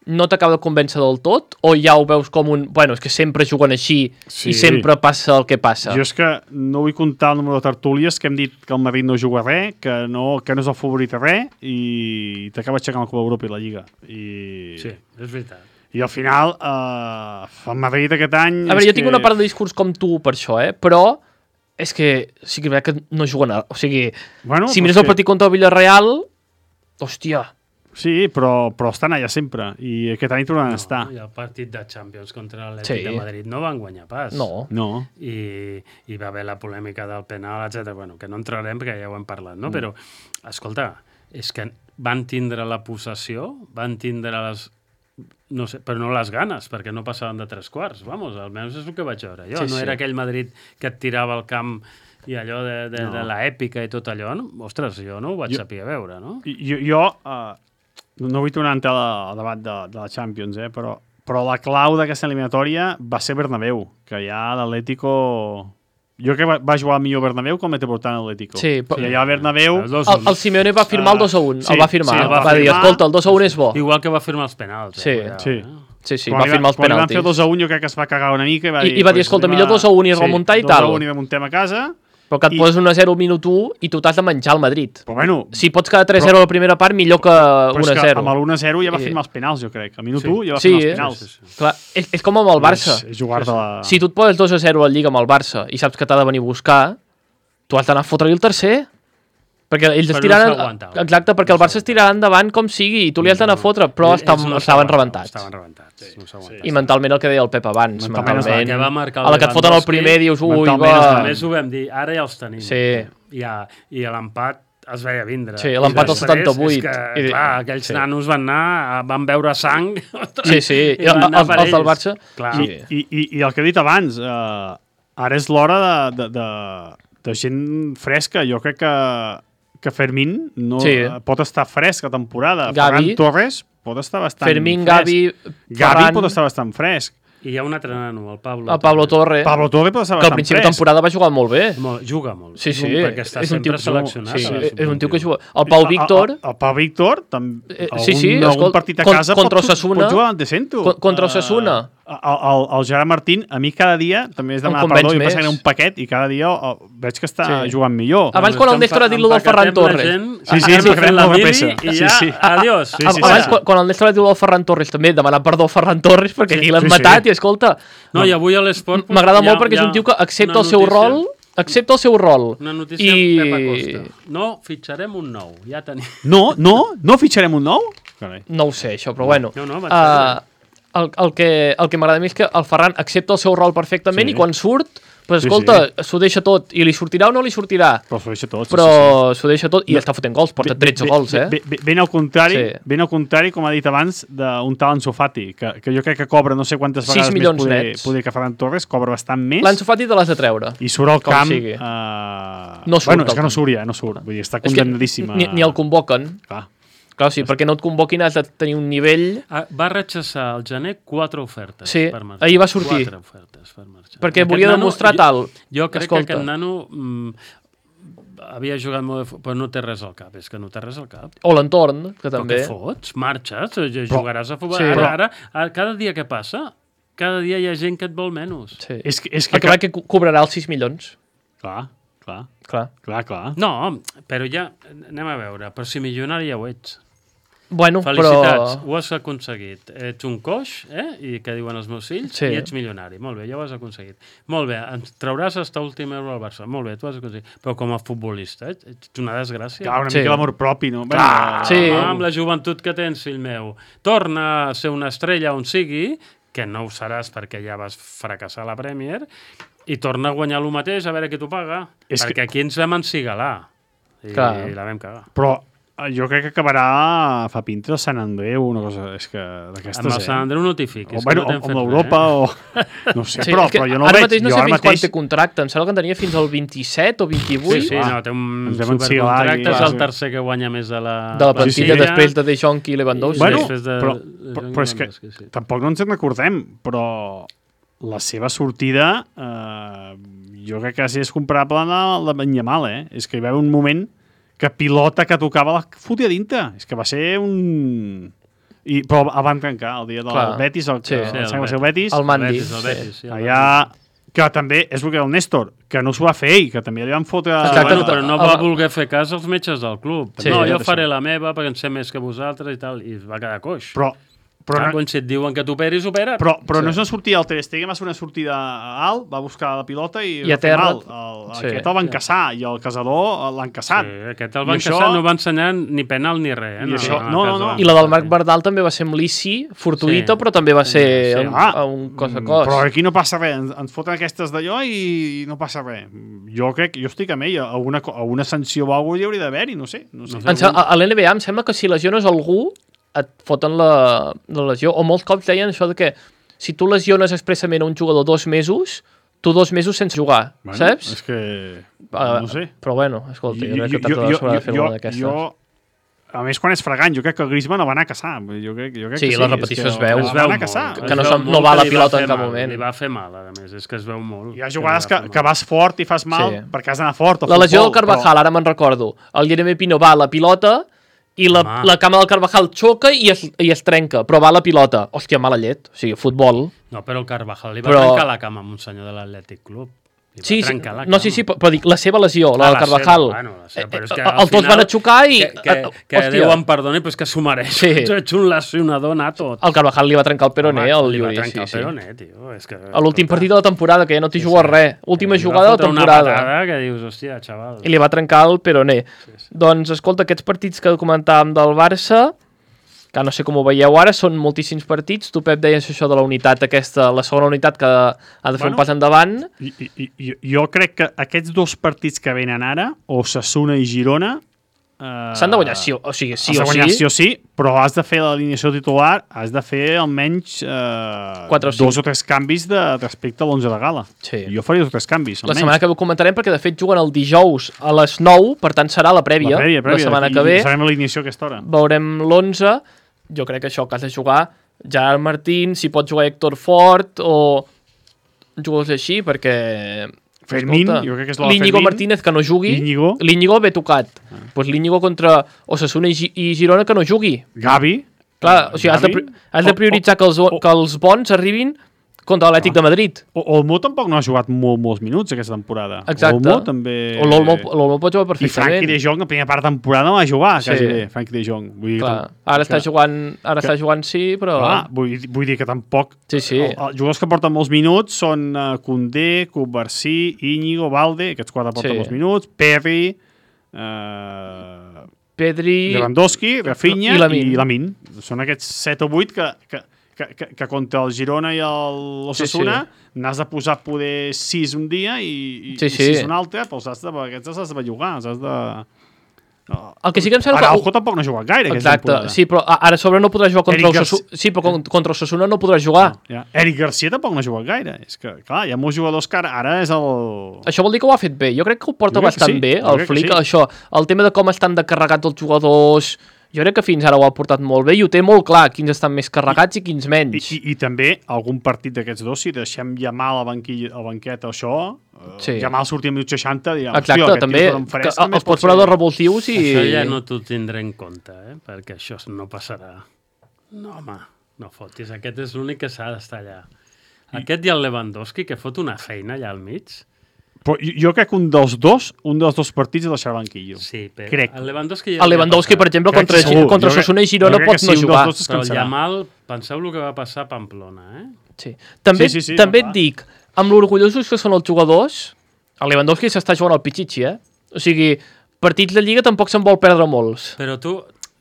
no t'acaba de convèncer del tot? O ja ho veus com un... Bueno, és que sempre juguen així Sí. i sempre passa el que passa. Jo és que no vull comptar el número de tertúlies que hem dit que el Madrid no juga res, que no, que no és el favorit a res, i t'acaba aixecant la Copa d'Europa i la Lliga. I, Sí, és veritat. I al final, uh, el Madrid aquest any... A veure, és jo tinc que... una part de discurs com tu per això, eh? Però és que sí que és veritat que no juguen a... O sigui, Bueno, si però mires és el que- partit contra el Villarreal, hòstia, Sí, però, però estan allà sempre, i aquest any tornaran a estar. I el partit de Champions contra l'Atlètic Sí. de Madrid no van guanyar pas. no. No. I, i va haver la polèmica del penal, etcètera. Bueno, que no entrarem perquè ja ho hem parlat, no? Mm. Però, escolta, és que van tindre la possessió, van tindre les... No sé, però no les ganes, perquè no passaven de tres quarts. Vamos, almenys és el que vaig veure jo. Sí, no sí. era aquell Madrid que et tirava al camp i allò de, de, No. de l'èpica i tot allò. No? Ostres, jo no ho vaig Jo- saber veure, no? I- Jo, jo uh, no vull tornar a entrar al debat de, de la Champions, eh, però, però la clau d'aquesta eliminatòria va ser Bernabéu, que ja l'Atlético... Jo crec que va, va jugar millor Bernabéu com Metropolitano Atlético. Sí, però- I allà a Bernabéu... Els dos El, el Simeone va firmar el dos a un, sí, el va firmar. sí, el va, va dir, firmar. escolta, el dos a un és bo. Igual que va firmar els penals. Sí. Eh? Cuidao, Sí. eh? Sí, sí, quan va firmar els quan penaltis. Quan van fer dos a un, jo crec que es va cagar una mica i va I, dir... i va dir, escolta, millor dos a un i remuntar i tal. dos a un i remuntem a casa. Però que et I... poses un a zero al minut u i tu t'has de menjar el Madrid. Però bueno... Si pots quedar tres a zero a la primera part, millor que un a zero. Però és que amb l'un a zero ja va firmar els penals, jo crec. Al minut u ja va sí, firmar els penals. Sí, sí, sí. Clar, és, és com amb el Barça. És, és jugar de la... Si tu et poses dos a zero al Lliga amb el Barça i saps que t'ha de venir a buscar, tu has d'anar a fotre-li el tercer. Perquè ells es tiraran... Exacte, perquè el Barça es tirarà endavant com sigui i tu li has d'anar a fotre, però estaven rebentats. Estaven rebentats. I mentalment el que deia el Pep abans. Mentalment, a la que et foten el primer dius, ui, va... A més ho vam dir, ara ja els tenim. Sí. I l'empat es veia vindre. Sí, l'empat al setanta-vuit. És que, clar, aquells nanos van anar, van veure sang... Sí, sí, els del Barça... I el que he dit abans, ara és l'hora de gent fresca. Jo crec que que Fermín no sí. pot estar fresc a temporada. Ferran Torres pot estar bastant Fermín, fresc. Gavi, Gavi pot estar bastant fresc. I hi ha un altre nano, el Pablo. El Pablo Torre. Pablo Torre pot estar que bastant fresc. al principi de temporada va jugar molt bé. Molt, juga molt. Sí, sí. Perquè està sempre seleccionat. Sí, sí. És un tio que juga. El Pau Víctor... El, el, el Pau Víctor, també, eh, sí, sí, algun, algun escolt, partit a casa contra pot, Osasuna, pot jugar de cento. Contra Osasuna. Uh, el, el, el Gerard Martín, a mi cada dia, també és demanar perdó, i passa que era un paquet, i cada dia oh, veig que està sí. jugant millor. Abans quan el Néstor ha dit lo del Ferran Torres. Sí, sí, empaquetem la peça. I ja, sí, sí. adiós. Sí, sí, sí, Abans, sí. quan el Néstor ha dit lo del Ferran Torres, també demanar perdó al Ferran Torres, perquè aquí l'han matat, i escolta... No, i avui a l'esport... M'agrada molt perquè és un tio que accepta el seu rol... Accepta el seu rol. Una notícia i... Pepa Costa. No, fitxarem un nou. Ja tenim... No, no? No fitxarem un nou? No ho sé, això, però bueno. No, no, uh, el, el que, el que m'agrada més és que el Ferran accepta el seu rol perfectament sí. i quan surt, pues, escolta, s'ho sí, sí. deixa tot. I li sortirà o no li sortirà? Però s'ho deixa tot. Però s'ho sí, sí. deixa tot i no. està fotent gols, porta tretze ben, gols, eh? Ben, ben, al contrari, sí. ben al contrari, com ha dit abans, d'un tal Ansu Fati, que, que jo crec que cobra no sé quantes vegades més poder, poder que Ferran Torres, cobra bastant més. L'Ansu Fati te l'has de treure. I surt al camp... Uh... No surt. Bueno, és que no surt ja, no surt. Vull dir, està condemnadíssima. Ni, ni el convoquen. Clar. Clar, sí, perquè no et convoquin has de tenir un nivell... Va rechaçar al gener quatre ofertes sí, per marxar. ahir va sortir. Quatre ofertes per marxar. Perquè aquest volia nano, demostrar jo, tal. Jo crec Escolta. que aquest nano mm, havia jugat molt, de... però no té res al cap. És que no té res al cap. O l'entorn, que també. Però què fots? Marxes? Jugaràs a futbol. Sí, ara, ara, ara, cada dia que passa, cada dia hi ha gent que et vol menys. Sí. És que, és que, que, que cobrarà els sis milions. Clar, clar. Clar, clar. clar. No, però ja... Anem a veure. Però si milionari ja ho ets. Bueno, felicitats, però... ho has aconseguit. Ets un coix, eh? I què diuen els meus fills? Sí. I ets milionari. Molt bé, ja ho has aconseguit. Molt bé, ens trauràs hasta últim euro al Barça. Molt bé, tu has aconseguit. Però com a futbolista, eh? Ets una desgràcia. Clar, una sí. mica l'amor propi, no? Clar, bueno, sí. amb la joventut que tens, fill meu. Torna a ser una estrella on sigui, que no ho seràs perquè ja vas fracassar a la Premier, i torna a guanyar el mateix a veure qui t'ho paga. És perquè que... aquí ens vam encigalar. I, i la vam cagar. Però jo crec que acabarà fa pinta el Sant Andreu, una cosa, és que d'aquestes... Amb el Sant Andreu no t'hi fiquis. O, bueno, no amb l'Europa, eh? o... No sé, sí, però, però jo no ara veig. Mateix no jo sé fins mateix... quan té contracte, em sembla que en tenia fins al vint-i-set o vint-i-vuit. Sí, sí, no, té un supercontracte, és el tercer que guanya més de la... De la plantilla, sí, sí. després de De Jong i Lewandowski. Bueno, de, però, de però, però és que sí. tampoc no ens en recordem, però la seva sortida eh, jo crec que sí és comparable a la Benyamal, eh? És que hi va haver un moment que pilota que tocava la fotia dintre. És que va ser un... I, però el van trencar el dia del Clar. Betis, el, sí, el, sí, el, el, el Betis. El Mandi. El Betis, el Betis, sí, el allà, que també és el que el Néstor, que no s'ho va fer ell, que també li van fotre... Exacte, bueno, però no va voler fer cas als metges del club. Sí, no, sí, jo faré la meva perquè en sé més que vosaltres i tal, i va quedar coix. Però Però Clar, no, quan si et diuen que t'operis, opera. Però, però sí. no és una sortida al Ter Stegen, va ser una sortida alt, va buscar la pilota i, I a terra. mal. El, sí. Aquest el van caçar i el caçador l'han caçat. Sí, aquest el van I caçar, això... no va ensenyar ni penal ni res. Eh? I no, això... no, no, no, no. I la del Marc Bardal també va ser amb l'Issi, fortuïta, sí. però també va ser sí. un, ah, un cos a cos. Però aquí no passa res, ens, ens foten aquestes d'allò i no passa res. Jo crec, jo estic amb ell, alguna, alguna sanció o alguna cosa hi hauria d'haver-hi, no sé. No sé. No sé a l'N B A em sembla que si lesiones algú et foten la, la lesió, o molts cops deien això de que si tu lesiones expressament a un jugador dos mesos, tu dos mesos sense jugar, bueno, saps? És que... Uh, no sé. Però bueno, escolta, jo, jo crec que jo, t'has de fer jo, una d'aquestes. Jo, a més, quan és fragant, jo crec que el Griezmann el va anar a caçar. Jo crec, jo crec sí, que sí, la repetició es, es veu. Es veu anar a caçar. Que, que no, no va a la pilota en cap mal, moment. Li va fer mal, a més, és que es veu molt. Hi ha jugades que, que vas fort i fas mal sí. perquè has d'anar fort. La lesió del Carvajal, però... ara me'n recordo. El Jeremy Pino va a la pilota i la, Home. la cama del Carvajal xoca i es, i es trenca, però va la pilota. Hòstia, mala llet. O sigui, futbol. No, però el Carvajal li va Però- trencar la cama amb un senyor de l'Atlètic Club. Li va Sí, sí, trencar la no, sí, cama. sí, però dic, la seva lesió, la Ah, del Carvajal. seva, bueno, la seva, però és que Eh, al els dos final- van a xocar i... Que, que, eh, que hòstia, Déu em perdoni, però és que s'ho mereix. Sí. Ets un lesionador nato. el Carvajal li va trencar el peroné, Home, el li va Yuri. trencar Sí, el sí. peroné, tio. És que, A l'últim escolta, partit de la temporada, que ja no t'hi sí, jugues sí. res. Última Eh, li va jugada de la fotre temporada. Una patada que dius, hòstia, xaval. I li va trencar el peroné. Sí, sí. Doncs, escolta, aquests partits que comentàvem del Barça, que no sé com ho veieu ara, són moltíssims partits. Tu, Pep, deies això de la unitat aquesta, la segona unitat que ha de fer Bueno, un pas endavant. I, i, i, jo crec que aquests dos partits que venen ara, Osasuna i Girona... Eh, S'han de guanyar sí o, o sigui, sí has de o guanyar sí. sí o sí, però has de fer l'alineació titular, has de fer almenys eh, Quatre o dos cinc. o tres canvis de, respecte a l'onze de gala. Sí. Jo faria dos o tres canvis, La almenys. setmana que ve ho comentarem perquè, de fet, juguen el dijous a les nou, per tant, serà la prèvia. La prèvia, prèvia. La setmana I que ve sabem l'alineació a aquesta hora. veurem l'onze. Jo crec que això, que has de jugar Gerard Martín, si pot jugar Héctor Fort o jugadors així, perquè... Fermín, escolta, jo crec que és la l'Íñigo Fermín. Martínez, que no jugui. Íñigo. L'Íñigo ve tocat. Doncs ah. pues l'Íñigo contra Osasuna i, Gi- i Girona, que no jugui. Gavi. Clar, o sigui, has de, pri- has de prioritzar que els, o- que els bons arribin contra l'Atlètic Ah. de Madrid. O, Olmo tampoc no ha jugat molt, molts minuts aquesta temporada. Exacte. Olmo també... O l'Olmo l'Olmo pot jugar I Frankie perfectament. de Jong, la primera part de temporada no va jugar, Sí. quasi bé, Frankie de Jong. Vull dir que Clar, tam- ara que- està jugant, ara que- està jugant sí, però... Clar, vull, vull dir que tampoc... Sí, sí. El, els jugadors que porten molts minuts són uh, Koundé, Cubarsí, Íñigo, Valde, aquests quatre porten Sí. molts minuts, Perry, uh, Pedri... Lewandowski, Rafinha i Lamine. i Lamin. Són aquests set o vuit que, que, que, que, que contra el Girona i l'Osasuna Sí, n'has de posar poder sis un dia i, i, Sí, i sí. sis un altre, però els has de, aquests els has de bellugar, els has de... No. El que sí que em sembla que... Araujo tampoc no ha jugat gaire aquesta Exacte, temporada. sí, però a- ara a sobre no podrà jugar contra Eric el Osasuna. Sí, però con- contra el Osasuna no podrà jugar. Ja. Eric Garcia tampoc no ha jugat gaire. És que, clar, hi ha molts jugadors que ara, ara és el... Això vol dir que ho ha fet bé. Jo crec que ho porta Jo crec que bastant sí, bé, jo el crec que Flick. sí. Això, el tema de com estan de carregats els jugadors... Jo crec que fins ara ho ha portat molt bé i ho té molt clar, quins estan més carregats i, i quins I, menys. i, I també algun partit d'aquests dos, si deixem llamar a la banquilla, al banquet això, Sí. sí. llamar al sortir a minut seixanta, dirà, Exacte, hòstia, aquest també, tio és un que fresc, també els pot pots posar ser- dos revulsius i... Això ja no t'ho tindré en compte, eh? Perquè això no passarà. No, home, no fotis. Aquest és l'únic que s'ha d'estar allà. Aquest i el Lewandowski, que fot una feina allà al mig. Però jo, jo crec que un dels dos, un dels dos partits el deixarà al banquillo. Sí, però Crec. el Lewandowski... ja El li ha Lewandowski, per passat. exemple, Crec contra, que segur. contra Jo crec- Osasuna i Girona jo crec que pot sí, no un dels jugar. dos es Però el cansarà. Yamal, penseu el que va passar a Pamplona, eh? Sí. També, Sí, sí, sí, també no, et dic, amb l'orgullosos que són els jugadors, el Lewandowski s'està jugant al Pichichi, eh? O sigui, partits de Lliga tampoc se'n vol perdre molts. Però tu,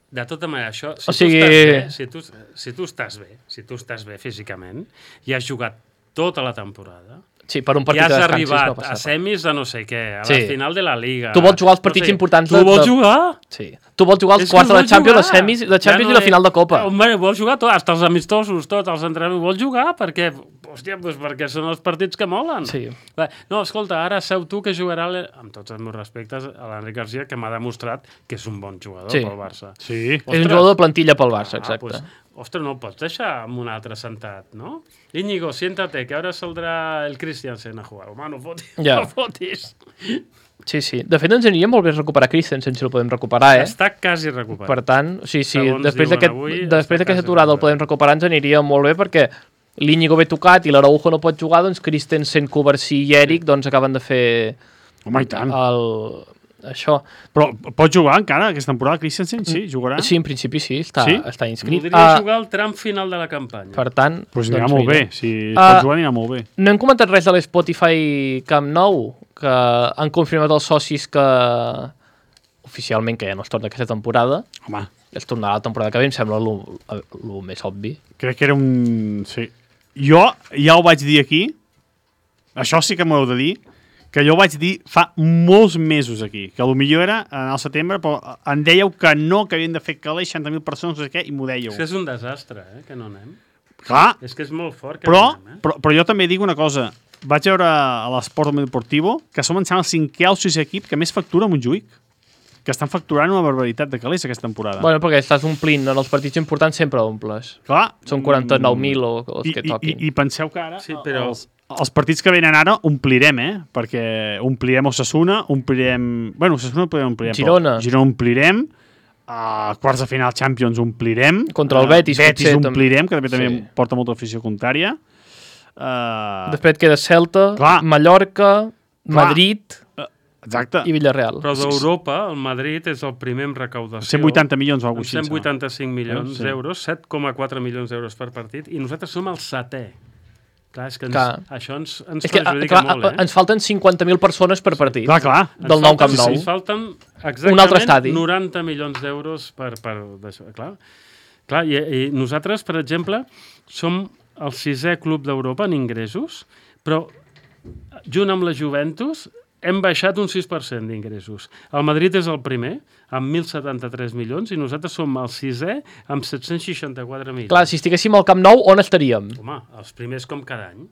de tota manera, això, si, O sigui- tu estàs bé, si, tu, si tu estàs bé, si tu estàs bé físicament, i has jugat tota la temporada, Sí, per un i partit has de descansis arribat no a passa res. semis de no sé què, a Sí. la final de la Liga... Tu vols jugar els partits no sé, importants Tu de- vols de- jugar? Sí. Tu vols jugar els És que quarts de la vols Champions, jugar. les semis, la Champions Ja i la final de Copa. Home, vols jugar tot, hasta els amistosos, tots els entrenaments, vols jugar? Perquè, hòstia, doncs perquè són els partits que molen. Sí. Va, no, escolta, ara seu tu que jugarà, l- amb tots els meus respectes, a l'Enric Garcia, que m'ha demostrat que és un bon jugador Sí. pel Barça. Sí. És un jugador de plantilla pel Barça, Ah, exacte. pues, ostres, no el pots deixar amb un altre sentat, no? Íñigo, siéntate, que ahora saldrá el Christiansen a jugar. Home, no fotis. Ja. No fotis. Sí, sí. De fet, ens aniria molt bé recuperar Christensen, si el podem recuperar, eh? Està quasi recuperat. Per tant, o sigui, sí, Segons després diuen d'aquest- avui, després està d'aquesta quasi aturada el recuperat. podem recuperar, ens aniria molt bé perquè l'Íñigo ve tocat i l'Araujo no pot jugar, doncs Christensen, Cubarsí i Eric doncs acaben de fer Home, i tant. el... això. Però pot jugar encara aquesta temporada, Christensen? Sí, jugarà? Sí, en principi sí, està, Sí? està inscrit. Podria Ah, jugar al tram final de la campanya. per tant, Doncs pues anirà doncs molt mira. bé. Si Ah, pot jugar, anirà molt bé. No hem comentat res de l'Spotify Camp Nou, que han confirmat els socis que oficialment que ja no es torna aquesta temporada. Home, Es tornarà la temporada que ve, em sembla el més obvi. crec que era un... Sí. Jo ja ho vaig dir aquí, això sí que m'ho heu de dir, que jo ho vaig dir fa molts mesos aquí, que potser era en el setembre, però em dèieu que no, que havien de fer calés seixanta mil persones, no sé què, i m'ho dèieu. És que és un desastre, eh, que no anem. Clar, És que és molt fort que però, no anem, eh? però, però jo també dic una cosa. Vaig veure a l'Esport Deportivo que som, em sembla, el cinquè o sisè equip que més factura a Montjuïc, que estan facturant una barbaritat de calés aquesta temporada. Bueno, perquè estàs omplint, en els partits importants sempre omples. Clar, Són quaranta-nou mil o els I, que i, toquin. i, I penseu que ara Sí, però- els, els partits que venen ara omplirem, eh? Perquè omplirem Osasuna, omplirem... Bueno, Osasuna omplirem, omplirem Girona. Però Girona omplirem, a quarts de final Champions omplirem. Contra el Betis, uh, Betis potser, omplirem, que també, sí. també porta molta afició contrària. Uh, Després et queda Celta, clar. Mallorca, Clar. Madrid uh, exacte. i Villarreal. Però d'Europa, el Madrid és el primer en recaudació. cent vuitanta milions o amb alguna cosa cent així. vuitanta-cinc milions Sí. d'euros, set coma quatre milions d'euros per partit, i nosaltres som el setè. Clar, és que ens, Clar. això ens, ens És que, perjudica clar, molt, eh? ens falten cinquanta mil persones per partit. Clar, clar. Del Ens nou Camp falten- Nou. Ens falten exactament Un altre estadi. noranta milions d'euros per, per d'això. Clar, clar i, i nosaltres, per exemple, som el sisè club d'Europa en ingressos, però junt amb la Juventus hem baixat un sis per cent d'ingressos. El Madrid és el primer, amb mil setanta-tres milions, i nosaltres som el sisè amb set-cents seixanta-quatre milions. Clar, si estiguéssim al Camp Nou, on estaríem? Home, els primers com cada any.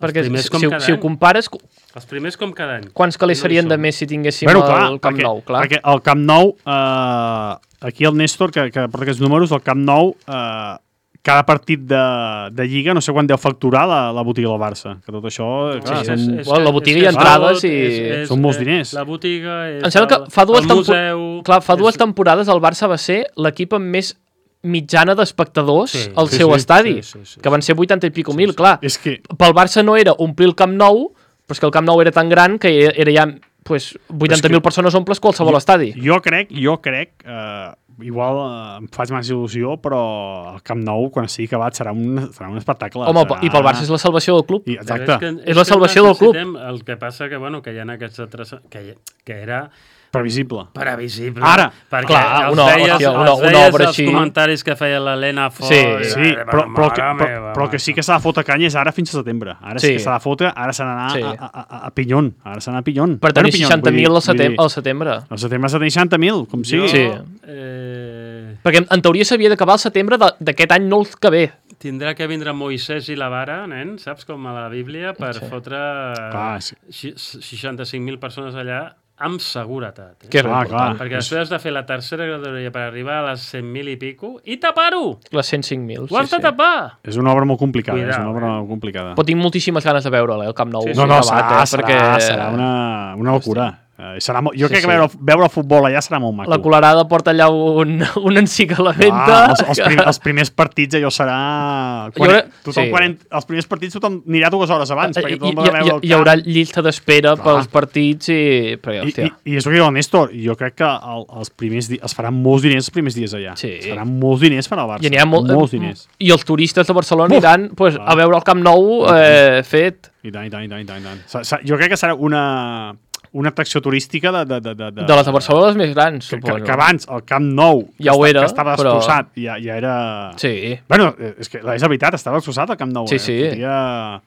Perquè primers si, com si, cada si ho any. compares, Els primers com cada any. quants calés No hi serien de som. més si tinguéssim Bueno, clar, el Camp perquè, Nou? Clar. perquè el Camp Nou, eh, aquí el Néstor, que, que porta aquests números, el Camp Nou, eh, cada partit de, de Lliga, no sé quan deu facturar la, la botiga del Barça. Que tot això... No, clar, és- són, és- és bueno, la que- botiga és i que és entrades tot, i- és- és- Són molts és- diners. La botiga és Em sembla el, que fa dues, el tempo- museu... clar, fa dues és- temporades el Barça va ser l'equip amb més mitjana d'espectadors Sí, al sí, seu sí, estadi, sí, sí, sí, que van ser vuitanta i pico mil, clar. és que... Pel Barça no era omplir el Camp Nou, però és que el Camp Nou era tan gran que era ja pues, vuitanta mil que- persones omples qualsevol estadi. Jo crec, jo crec, eh, igual eh, em faig massa il·lusió, però el Camp Nou, quan estigui acabat, serà un, serà un espectacle. Home, serà... i pel Barça és la salvació del club. I, Però exacte. que- És la que salvació del club. necessitem- El que passa que, bueno, que hi ha aquests altres... Que, que era Previsible. previsible. Ara, perquè clar, els una- veies, hòstia, una- els una veies obra els així. comentaris que feia l'Helena Fort. Sí, i- Sí, i- però, però, que, mare però, meva, però que sí que s'ha de fotre canya és ara fins a setembre. Ara sí, Sí. que s'ha de fotre, ara s'ha d'anar Sí. a, a, a, a Pinyon. Ara s'ha d'anar a Pinyon. Per tenir Bueno, Pinyon, seixanta mil vull al, dir- vull setem dir, al setembre. Al setembre s'ha de tenir seixanta mil, com sigui. Sí. Eh, Perquè en teoria s'havia d'acabar el setembre de- d'aquest any, no el que ve. tindrà que vindre Moisès i la vara, nen, saps, com a la Bíblia, per Sí. fotre Clar, sí. xi- seixanta-cinc mil persones allà amb seguretat. Eh? Que és Clar, important. clar. Perquè després has de fer la tercera graduaria per arribar a les cent mil i pico i tapar-ho! Les cent cinc mil. Ho Sí, has de sí. tapar! És una obra molt complicada. Cuidao, és una obra eh? molt complicada. Però tinc moltíssimes ganes de veure-la, eh, el Camp Nou. Sí, sí. No, no, acabat, serà, eh, serà, perquè serà una, una locura. Eh, serà molt, jo Sí, crec que sí. veure, veure el futbol allà serà molt maco. la Colarada porta allà un, un encic a la venda. Ah, els, els, prim, els primers partits allò serà... Quan, Jo- tothom, sí. quan, els primers partits tothom anirà dues hores abans, I, perquè hi, tothom ha de veure el hi, hi haurà camp. llista d'espera Clar. pels partits i... Però, I, hòstia, i, I és el que diu el Néstor, jo crec que el, els primers di- es faran molts diners els primers dies allà. Sí. Es faran molts diners per al Barça. i n'hi ha molt, molts diners. I els turistes de Barcelona Uf! aniran pues, Clar. a veure el Camp Nou eh, fet. I tant, i tant, i tant, i tant. I tant. Sa- sa- Jo crec que serà una, una atracció turística de... De, de, de, De les de Barcelona, les més grans, que, que, suposo. que abans el Camp Nou Ja que ho esta- era, que estava però- destrossat, ja, ja era... Sí, Bueno, eh, és que és la veritat, estava destrossat el Camp Nou. Sí, eh? sí. Fotia...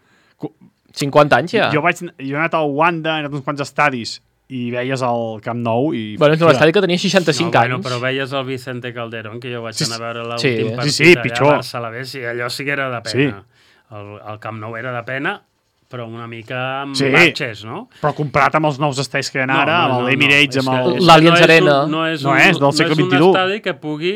cinquanta anys ja. Jo, vaig, jo he anat al Wanda, he anat a uns quants estadis i veies el Camp Nou i... Bueno, és un hòstia, estadi que tenia seixanta-cinc no, bueno, anys. però veies el Vicente Calderón, que jo vaig Sí, anar a veure sí, l'últim sí, partit sí, allà pitjor. a Barça-Alavés, i allò sí que era de pena. Sí. El, el Camp Nou era de pena, però una mica amb Sí. batxes, no? Però comparat amb els nous estadis que hi ha No, ara, no, amb no, l'Emirates, no, amb és el... que- és l'Allianz que no és Arena. un- No és, No un, és, del no segle és un vint-i-u. estadi que pugui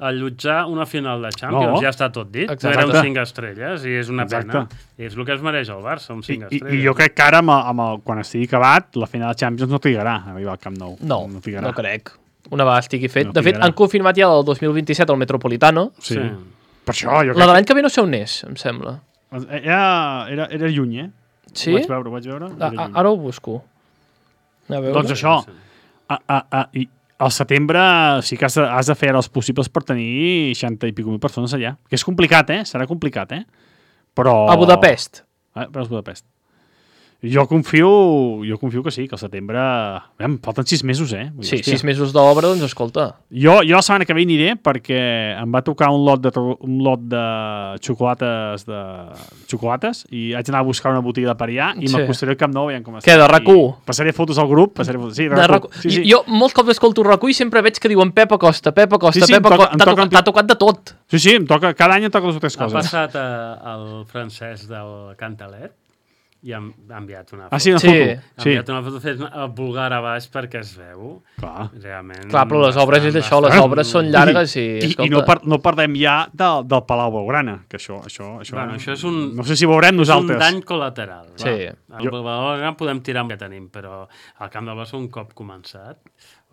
allotjar una final de Champions, No. ja està tot dit. Exacte. No era un cinc estrelles i és una Exacte. pena. I és el que es mereix el Barça, un I, cinc i, estrelles. I jo crec que ara, amb el, amb el, quan estigui acabat, la final de Champions no trigarà a arribar al Camp Nou. No, no, no, trigarà. no crec. Una vegada estigui fet. No de fet, trigarà. han confirmat ja el dos mil vint-i-set el Metropolitano. Sí. Sí. Per això, jo La de crec l'any que ve no sé on és, em sembla. que... Era, era, era lluny, eh? Sí? Ho vaig veure, ho vaig veure. A, Era a, lluny. ara ho busco. A veure. Doncs això, a, a, a, i al setembre sí que has de, has de fer els possibles per tenir seixanta i pico mil persones allà. Que és complicat, eh? Serà complicat, eh? Però... A Budapest. Eh, però és Budapest. Jo confio, jo confio que sí, que al setembre... Em falten sis mesos, eh? Vull dir, Sí, hòstia. sis mesos d'obra, doncs escolta. Jo, jo la setmana que ve aniré perquè em va tocar un lot de, tro- un lot de xocolates de xocolates i haig d'anar a buscar una botiga de per allà i Sí. m'acostaré al Camp Nou veient com està. Què, de RAC u? I Passaré fotos al grup, passaré fotos... Sí, de De RAC u. rac... Sí, sí. Jo molts cops escolto RAC u i sempre veig que diuen Pep Acosta, Pep Acosta, Sí, sí, Pep em toca- Acosta. em T'ha toca- tocat, t'ha tocat de tot. sí, sí, em toca, cada any em toca dues o tres Ha coses. passat a, el francès del Cantalet i ha, ha enviat una foto. Ah, sí, una Sí. foto. Ha Sí, enviat una foto fent el vulgar a baix perquè es veu. clar. Realment... Clar, però les obres és això, les bastant- obres són llargues i... I, escolta, i no, par, no parlem ja del, del Palau Blaugrana, que això, això, això, Bueno, això és un- no sé si ho veurem És un nosaltres. dany col·lateral. Sí. Amb el Badalona podem tirar amb que tenim, però al camp del Barça un cop començat,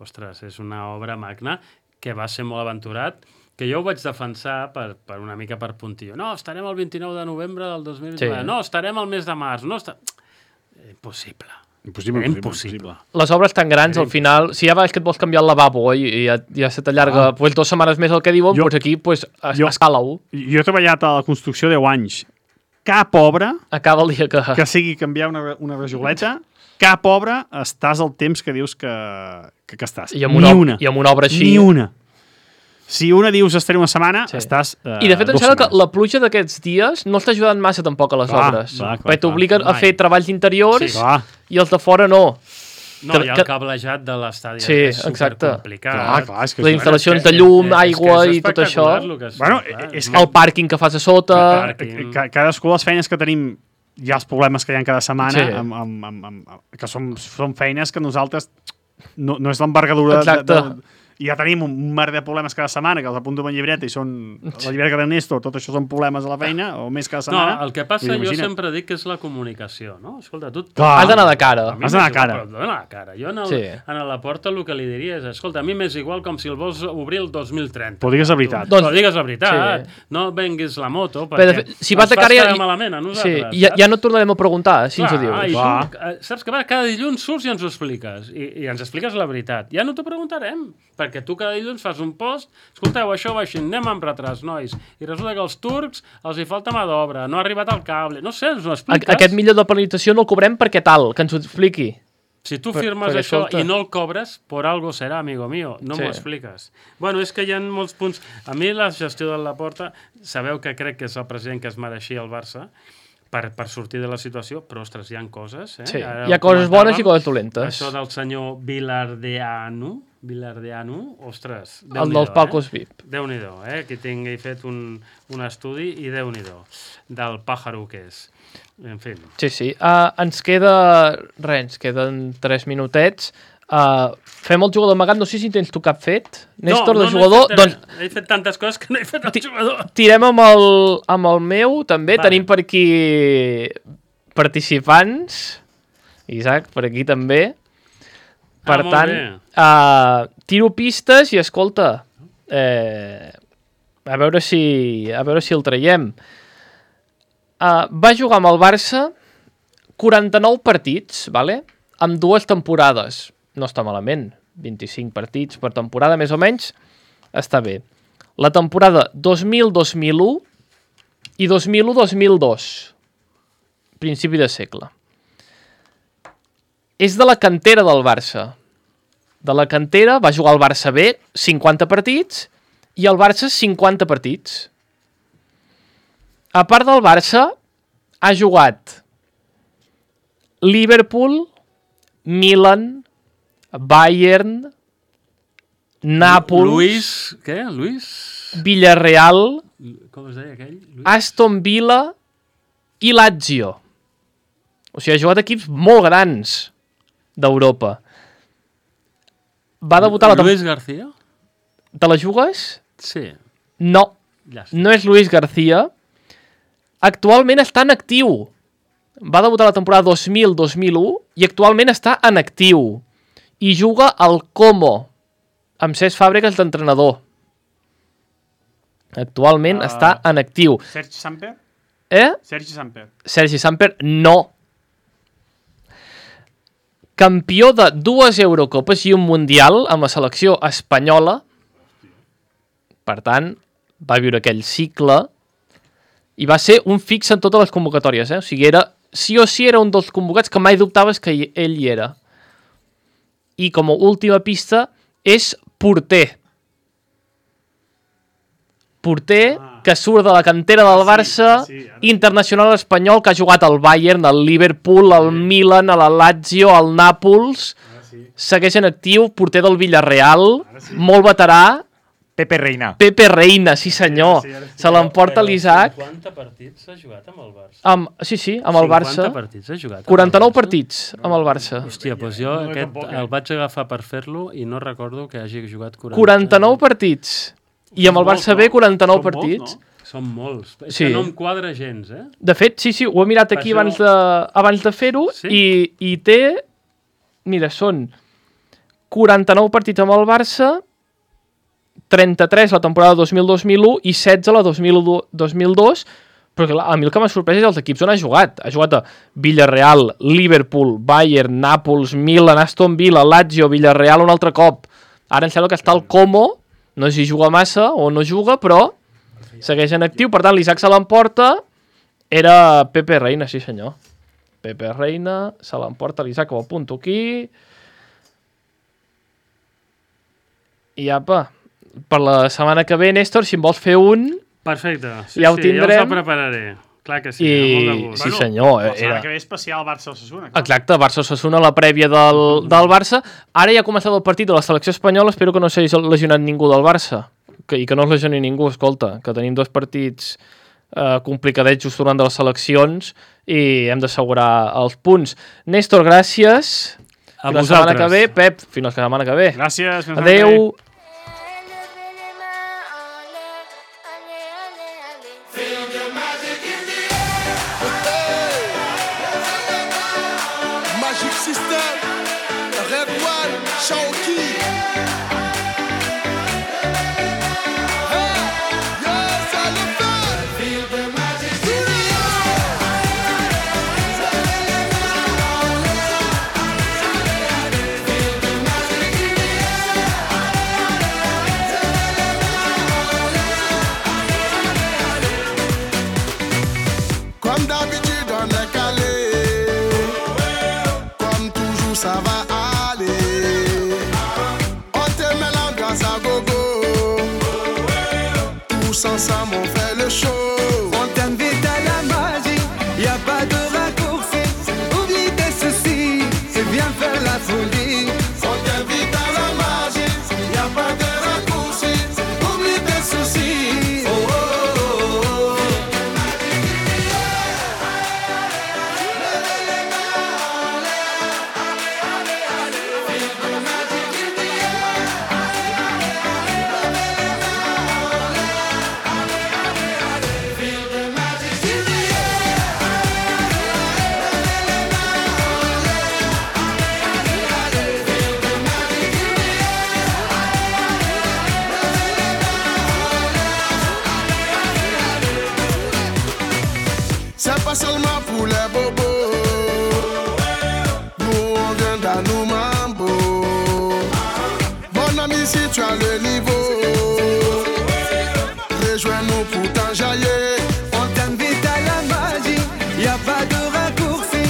ostres, és una obra magna que va ser molt aventurat, que jo ho vaig defensar per, per una mica per puntillo. No, estarem el vint-i-nou de novembre del dos mil vint. Sí. No, estarem al mes de març. No, està... Impossible. Impossible, impossible. impossible. Les obres tan grans, al final, si ja vas que et vols canviar el lavabo i ja, ja se t'allarga ah. pues, dues setmanes més el que diuen, jo, doncs aquí pues, es, jo, escala-ho. Jo he treballat a la construcció deu anys. Cap obra acaba el dia que... que sigui canviar una, una rajoleta, cap obra estàs al temps que dius que, que, que estàs. I amb una, Ni una. I amb una obra així... Ni una. Si una dius estaré una setmana, sí. estàs uh, I de fet em sembla que la pluja d'aquests dies no està ajudant massa tampoc a les clar, obres. Clar, clar, perquè t'obliguen a fer treballs interiors sí, i els de fora no. No, que, hi ha el cablejat de l'estadi. Sí, és supercomplicat. Clar, clar, és que les instal·lacions de llum, aigua i tot això. És, bueno, clar, és que el pàrquing que fas a sota... Cadascú de les feines que tenim, hi ha els problemes que hi ha cada setmana, sí. amb, amb, amb, amb, que són, són feines que nosaltres... No, no és l'envergadura... Exacte. De, de, i ja tenim un mar de problemes cada setmana, que els apunto en llibreta i són la llibreta d'Ernesto, tot això són problemes a la feina, o més cada setmana. No, el que passa, jo sempre dic que és la comunicació, no? Escolta, tu... Clar. Has d'anar de cara. Has d'anar de cara. D'anar de cara. Jo en, el, sí. en la porta el que li diria és, escolta, a mi m'és igual com si el vols obrir el dos mil trenta. Però digues la veritat. Doncs, digues la veritat. Sí. No venguis la moto, perquè fet, si vas de cara, ja, malament a nosaltres. Sí, ja, ja no et tornarem a preguntar, si clar, ens ho dius. Tu, saps que va, cada dilluns surts i ens ho expliques. I, i ens expliques la veritat. Ja no t'ho preguntarem, perquè tu cada dilluns fas un post, escolteu, això va així, anem amb retras, nois. I resulta que els turcs els hi falta mà d'obra, no ha arribat el cable, no sé, ens ho expliques. Aquest milió de penalització no el cobrem perquè tal, que ens ho expliqui. Si tu firmes per, això escolta. I no el cobres, por algo serà, amigo mío, no sí. m'ho expliques. Bueno, és que hi ha molts punts... A mi la gestió de la Porta, sabeu que crec que és el president que es mereixia el Barça, per, per sortir de la situació, però, ostres, hi ha coses. Eh? Sí. Hi ha coses bones i coses dolentes. Això del senyor Vilardeanu, Vilardeanu, ostres, el dels palcos eh? V I P. Déu-n'hi-do, eh? Aquí tingui fet un, un estudi i Déu-n'hi-do, del pàjaro que és. En fi. Sí, sí. Uh, ens queda... Res, ens queden tres minutets. Uh, fem el jugador amagat, no sé si tens tu cap fet. Néstor, no, no, de jugador... No he, fet, doncs, he fet tantes coses que no he fet el jugador. Tirem amb el, amb el meu, també. Vale. Tenim per aquí participants. Isaac, per aquí també. Per ah, tant, uh, tiro pistes i, escolta, eh, a veure si a veure si el traiem. Uh, va jugar amb el Barça quaranta-nou partits, vale? Amb dues temporades. No està malament. vint-i-cinc partits per temporada, més o menys. Està bé. La temporada dos mil dos mil u i dos mil u dos mil dos. Principi de segle. És de la cantera del Barça. De la cantera va jugar al Barça B cinquanta partits i al Barça cinquanta partits. A part del Barça, ha jugat Liverpool, Milan, Bayern, Nàpols... Luis, què? Luis? Villarreal, com es deia aquell? Luis? Aston Villa i Lazio. O sigui, ha jugat equips molt grans d'Europa. Va debutar la... Luis García? Te la jugues? Sí. No, no és Luis García. Actualment està en actiu. Va debutar la temporada dos mil dos mil u i actualment està en actiu. I juga al Como, amb Cesc Fàbregas d'entrenador. Actualment uh, està en actiu. Sergi Samper? Eh? Sergi Samper. Sergi Samper, no. Campió de dues Eurocopes i un Mundial amb la selecció espanyola. Per tant, va viure aquell cicle i va ser un fix en totes les convocatòries. Eh? O sigui, era, sí o sí era un dels convocats que mai dubtaves que ell hi era. I com a última pista és porter. Porter ah. que surt de la cantera del Barça, sí, sí, ara... internacional espanyol, que ha jugat al Bayern, al Liverpool, al sí. Milan, a la Lazio, al Nàpols, sí. Segueix en actiu, porter del Villarreal, sí. Molt veterà. Pepe Reina. Pepe Reina, sí senyor. Sí, sí, sí. Se l'emporta l'Isaac. cinquanta partits ha jugat amb el Barça. Amb, sí, sí, amb el Barça. cinquanta partits ha jugat. quaranta-nou partits amb el Barça. Hòstia, doncs jo no, aquest, el vaig agafar per fer-lo i no recordo que hagi jugat quaranta. quaranta-nou partits. I amb el Barça B, quaranta-nou partits. Són molts. És sí. que no em quadra gens, eh? De fet, sí, sí, ho he mirat aquí abans de, abans de fer-ho sí? i, i té... Mira, són quaranta-nou partits amb el Barça, trenta-tres la temporada dos mil dos mil u i setze la dos mil dos, però clar, a mi el que m'ha sorprès és els equips on ha jugat. Ha jugat a Villarreal, Liverpool, Bayern, Nàpols, Milan, Aston Villa, Lazio, Villarreal un altre cop. Ara em sembla que està el Como, no sé si juga massa o no juga, però segueix en actiu. Per tant, l'Isaac se l'emporta. Era Pepe Reina, sí senyor. Pepe Reina, se l'emporta l'Isaac, ho apunto aquí. I apa, per la setmana que ve, Néstor, si em vols fer un... Perfecte, sí, ja ho sí, tindrem. ja us el prepararé. Clar que sí, I... amb molt de gust. Sí, senyor. La setmana Era... que ve especial Barça-Osasuna. Exacte, Barça-Osasuna, la prèvia del, del Barça. Ara ja ha començat el partit de la selecció espanyola, espero que no s'hagi lesionat ningú del Barça. Que, I que no es lesioni ningú, escolta, que tenim dos partits eh, complicadets just durant de les seleccions i hem d'assegurar els punts. Néstor, gràcies. A Fins la setmana que ve. Pep, fins la setmana que ve. Gràcies. Fins Adéu. Magic System, Red One, Shawky. Hey, yes, I love that. Feel the magic Comme d'habitude, on est calé. Comme toujours, ça va aller. On te met l'ambiance à gogo. Tous ensemble, on fait le show. On t'invite à la magie, y a pas de raccourci. Oublie tes soucis et viens faire la folie. On t'invite à la magie, y a pas de raccourci. Oublie tes soucis. Oh, oh, oh, oh. C'est pas seulement pour les bobos. Nous on vient d'Anou Mambo. Mon ami, si tu as le niveau, rejoins-nous pour t'enjailler. On t'invite à la magie, y a pas de raccourci.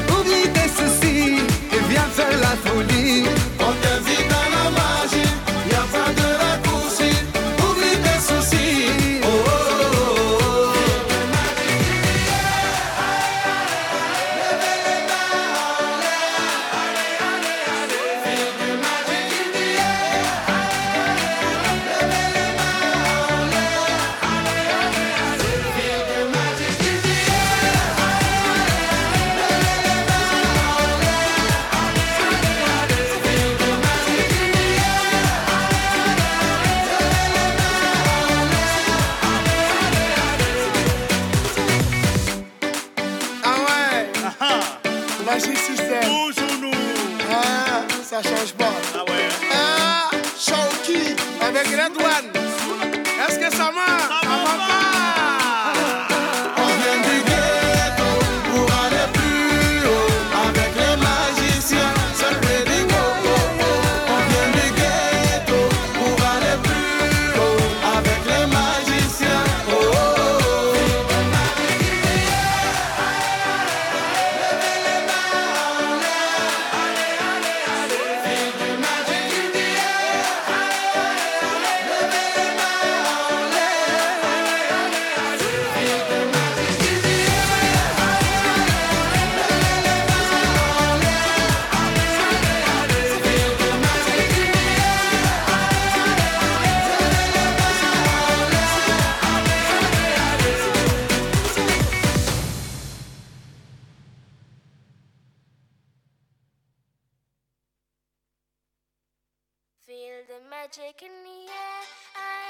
Oublie tes soucis et viens faire la folie. On t'invite à la magie, y a pas de raccourci. Oublie tes soucis. Oh, oh, oh, oh. Ah ouais, Magic System. Toujours nous. Ah, ça change pas. Ah ouais. Ah, Shawky avec Red One. Est-ce que ça marche? Ça va pas. On vient du ghetto pour aller plus haut. Avec les magiciens, c'est le Ready Go. On vient du ghetto pour aller plus haut. Avec les magiciens. Oh, oh, oh. Feel the magic in the air. I